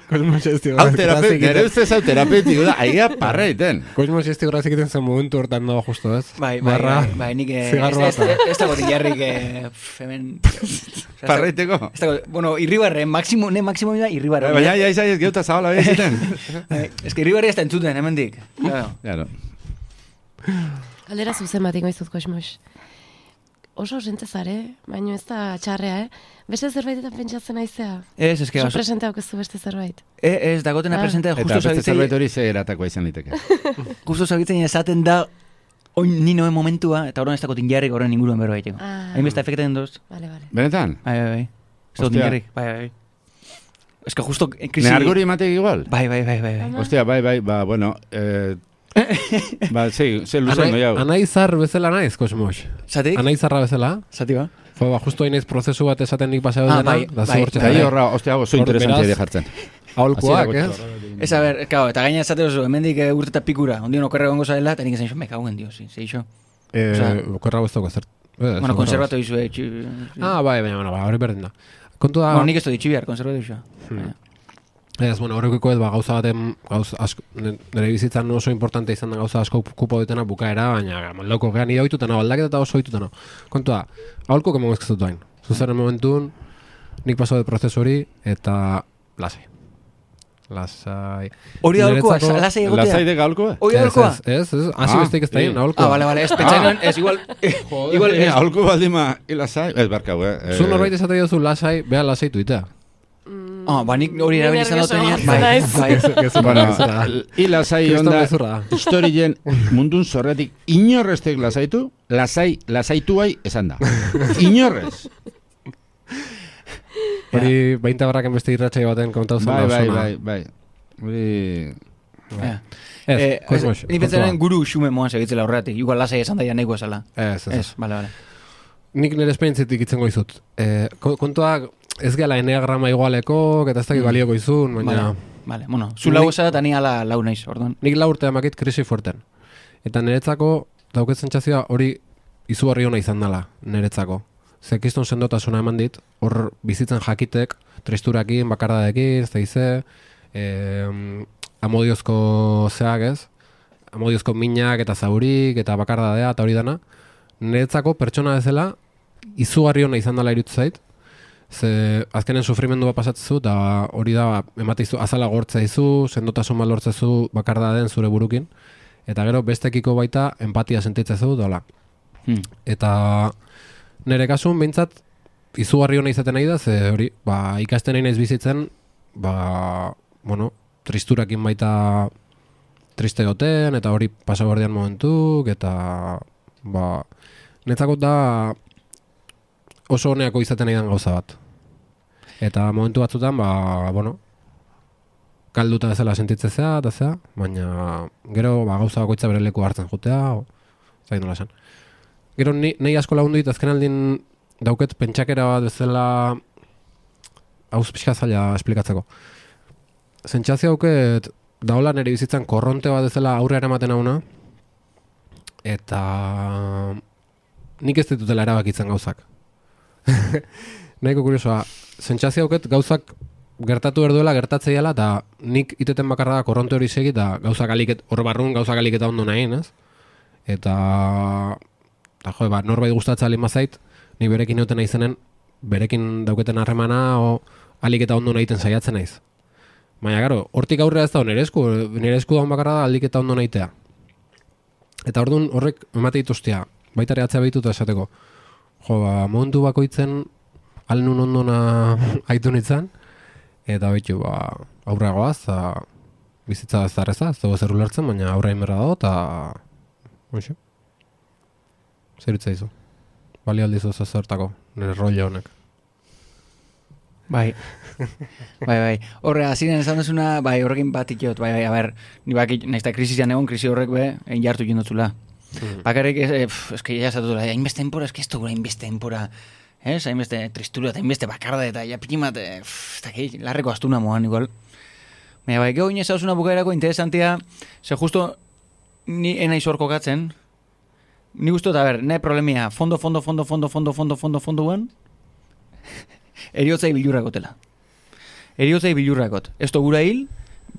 Kosmosez tigo. Hau terapeutik, nire ustez hau terapeutik, da, aia parra egiten. Kosmosez tigo grazik egiten zen momentu hortan dago justo, ez? Bai, bai, bai, bai, nik ez dago tilarrik hemen... Parra egiteko? Bueno, irribarren, maksimo, ne maksimo da irribarren. Baina, ja, izan ez geuta zabala behiziten. Ez que irribarri ez da entzuten, hemen dik. Claro. Galdera zuzen bat ingoizut kosmos. Oso zare, baina ez da txarrea, eh? Beste zerbaitetan pentsatzen aizea? Ez, ez que... Oso presente haukezu beste zerbait. E, ez, dagotena ah. presente justo zabitzen... Eta beste zerbait zabitzen... hori ze eratakoa izan liteke. Justo zabitzen esaten da, oin ninoen momentua, eta horren ez dako tinjarrik horren inguruen berro baiteko. Ah. Hain besta efekten doz. Vale, vale. Benetan? Bai, bai, bai. Ez dako tinjarrik, bai, bai. Ez que justo... Krisi... Ne argori ematek igual? Bai, bai, bai, bai. Ostia, bai, bai, ba, bueno... Eh... ba, sí, ze luzen noiau. Anaizar bezala naiz, Kosmos. Zatik? Anaizarra bezala. Zati ba? Fue, ba, justo hainez prozesu bat esaten nik paseo ah, dena. Bai, da bai, bai. Eta horra, ostia, oso interesantia di jartzen. Aholkuak, ez? Ez, a ber, kao, eta gaina esate oso, hemendik urte eta pikura, ondion okerre gongo zaila, eta nik esan me cago en Dios, sí, se iso. Eh, okerra guztoko zer. Bueno, konservatu izu, eh. Ah, bai, baina, bueno, ba, hori berdin da. Kontu da... Bueno, nik ez du ditxibiar, konservatu izu. Ez, bueno, horrekiko ez, ba, gauza baten, gauza asko, nire bizitzan oso importante izan da gauza asko kupo ditena bukaera, baina loko gehan nire oitutena, aldaketa eta oso oitutena. Kontua, aholko kemongo ezkezutu duain. Zuzaren momentun, nik paso de prozesu hori, eta lasai. Lasai. Hori da aholkoa, lasai egotea? Lasai de aholkoa? Hori aholkoa? Ez, ez, ez, hasi besteik ez da hien, aholkoa. Ah, bale, bale, ez pentsainan, ez igual... Igual, aholko baldima, lasai, ez barkau, eh. Zu norbait esate jozu lasai, beha lasai tuitea. Ah, ba, nik hori erabili izan dut bai, bai. Bueno, i lasai onda, historien mundun zorretik inorrestek lasaitu, lasai, lasaituai esan da. Inorrez. Hori bainta barraken beste irratxai baten kontau zen bai, da bai, osona. bai, bai. Hori... Ez, Kosmos. Ni pentsaren guru xume moan segitzela horretik, igual lasai esan daia nahiko esala. Ez, ez. Ez, bale, bale. Nik nire esperientzitik itzen goizut. Eh, kontuak ez gela eneagrama igualeko, eta ez dakit balioko izun, baina... Vale, vale. Bueno, zu lau esa eta ni ala lau naiz, orduan. Nik lau urte amakit krisi fuerten. Eta niretzako dauket zentzazioa hori izugarri ona izan dela, niretzako. Ze kiston sendotasuna eman dit, hor bizitzen jakitek, tristurakin, bakardadekin, ez da ize, eh, amodiozko zeak ez, amodiozko minak eta zaurik eta bakardadea eta hori dana, niretzako pertsona bezala izugarri ona izan dela irutu zait, ze azkenen sufrimendu bat pasatzezu eta hori da emateizu azala gortzeizu, sendotasun bat lortzezu bakardaden zure burukin, eta gero bestekiko baita empatia sentitzezu dola. Hmm. Eta nire kasun behintzat izugarri ona izaten nahi da, ze hori, ba, ikasten nahi naiz bizitzen, ba, bueno, tristurakin baita triste goten, eta hori pasabordean momentuk, eta, ba, netzako da oso honeako izaten nahi den gauza bat. Eta momentu batzutan, ba, bueno, kalduta bezala sentitzezea, eta zea, baina gero ba, gauza bakoitza bere leku hartzen jutea, o, zain nola esan. Gero ni, nahi asko lagundu dit, azken aldin dauket pentsakera bat bezala, hauz pixka zaila esplikatzeko. Zentzazio hauket, daola nire bizitzan korronte bat bezala aurre eramaten hauna, eta nik ez ditutela erabakitzen gauzak. Nahiko kuriosoa, zentzazio hauket gauzak gertatu erduela, gertatzeiala, eta nik iteten bakarra da korronte hori segi, eta gauzak aliket, hor barrun gauzak aliketa ondo nahi, ez? Eta eta jo, ba, norbait gustatzen alin bazait, ni berekin neuten naizenen, berekin dauketen harremana, o alik eta ondo nahiten saiatzen naiz. Baina, garo, hortik aurrera ez da nire esku, nire esku daun bakarra da alik eta ondo nahitea. Eta orduan horrek emate dituztea, baita ere atzea behituta esateko. Jo, ba, momentu bakoitzen, alnun ondona aitu nintzen, eta behitu, ba, aurrera goaz, eta bizitza ez da erreza, ez dago zer ulertzen, baina aurra inberra dago, eta... Oixo. Zer hitza izu. Bali aldizu zezertako, nire rollo honek. Bai, bai, bai. Horre, aziren esan duzuna, bai, horrekin bat ikiot, bai, bai, a ber, ni bakit, nahiz da krisizian egon, krisi horrek be, egin jartu jindotzula. Mm. Bakarrik, eh, pff, eski, ja esatutela, hainbeste denpora, eski ez dugu hainbeste denpora, ez, hainbeste tristura, eta hainbeste bakarda, eta ja pikimat, pff, eta ki, larreko astuna moan, igual. Baina, bai, geho inez hausuna bukaerako interesantia, ze justo, ni enaiz hor kokatzen, ni guztot, a ber, ne problemia, fondo, fondo, fondo, fondo, fondo, fondo, fondo, fondo, fondo, eriotzai bilurrakotela. Eriotzai bilurrakot. Ez gura hil,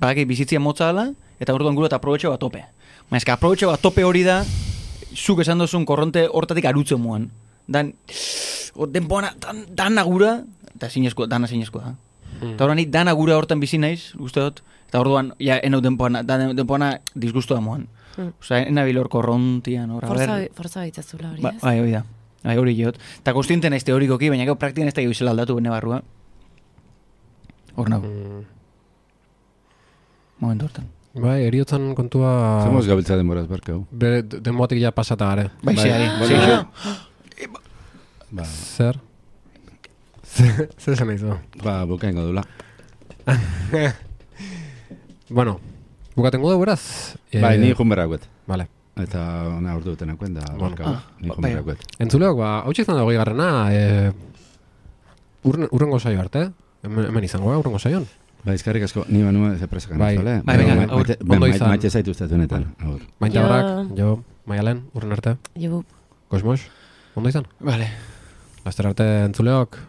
bakit bizitzia motza dela, eta orduan gura eta aprobetxe bat tope. Ma eska aprobetxe bat tope hori da, zuk esan duzun korronte hortatik arutzen muan. Dan, denpoana, dan, dana gura, eta zinezko, dana zinezko da. Hmm. Eta horren nik dana gura hortan bizi naiz, uste dut, eta orduan, ja, enau denpoana, denpoana disgustu da muan. Hmm. Osa, enabil hor korrontian, hor, Forza, forza baitzazula hori, ba, ez? bai, hori da. Bai, hori jot. Eta konstiente naiz teorikoki, baina gau praktikan ez da gizela aldatu bene barrua. Hor nago. Mm. Momentu hortan. Bai, eriotzan kontua... Zemoz gabiltza denboraz, berkeu. Be, denboatik ja pasata gare. Bai, zeari. Bai, bai. Zer? Zer zen nahi zu? Ba, bukaingo dula. Bueno, bukatengo da beraz? Bai, ni junberrakuet. Vale. Eta ona urdu duten da, bueno, ah, ni junberrakuet. Entzuleok, ba, hau txizan dago garrana, e, urrengo saio arte, hemen, hemen izango ga, urrengo saion. Ba, izkarrik asko, ni manua ze presakan bai, izole. Bai, venga, aur. Ondo izan. Maite zaitu ustatu honetan, aur. Maite horrak, jo, Maialen, urren arte. Jo. Kosmos, ondo izan? Vale. Laster arte entzuleok.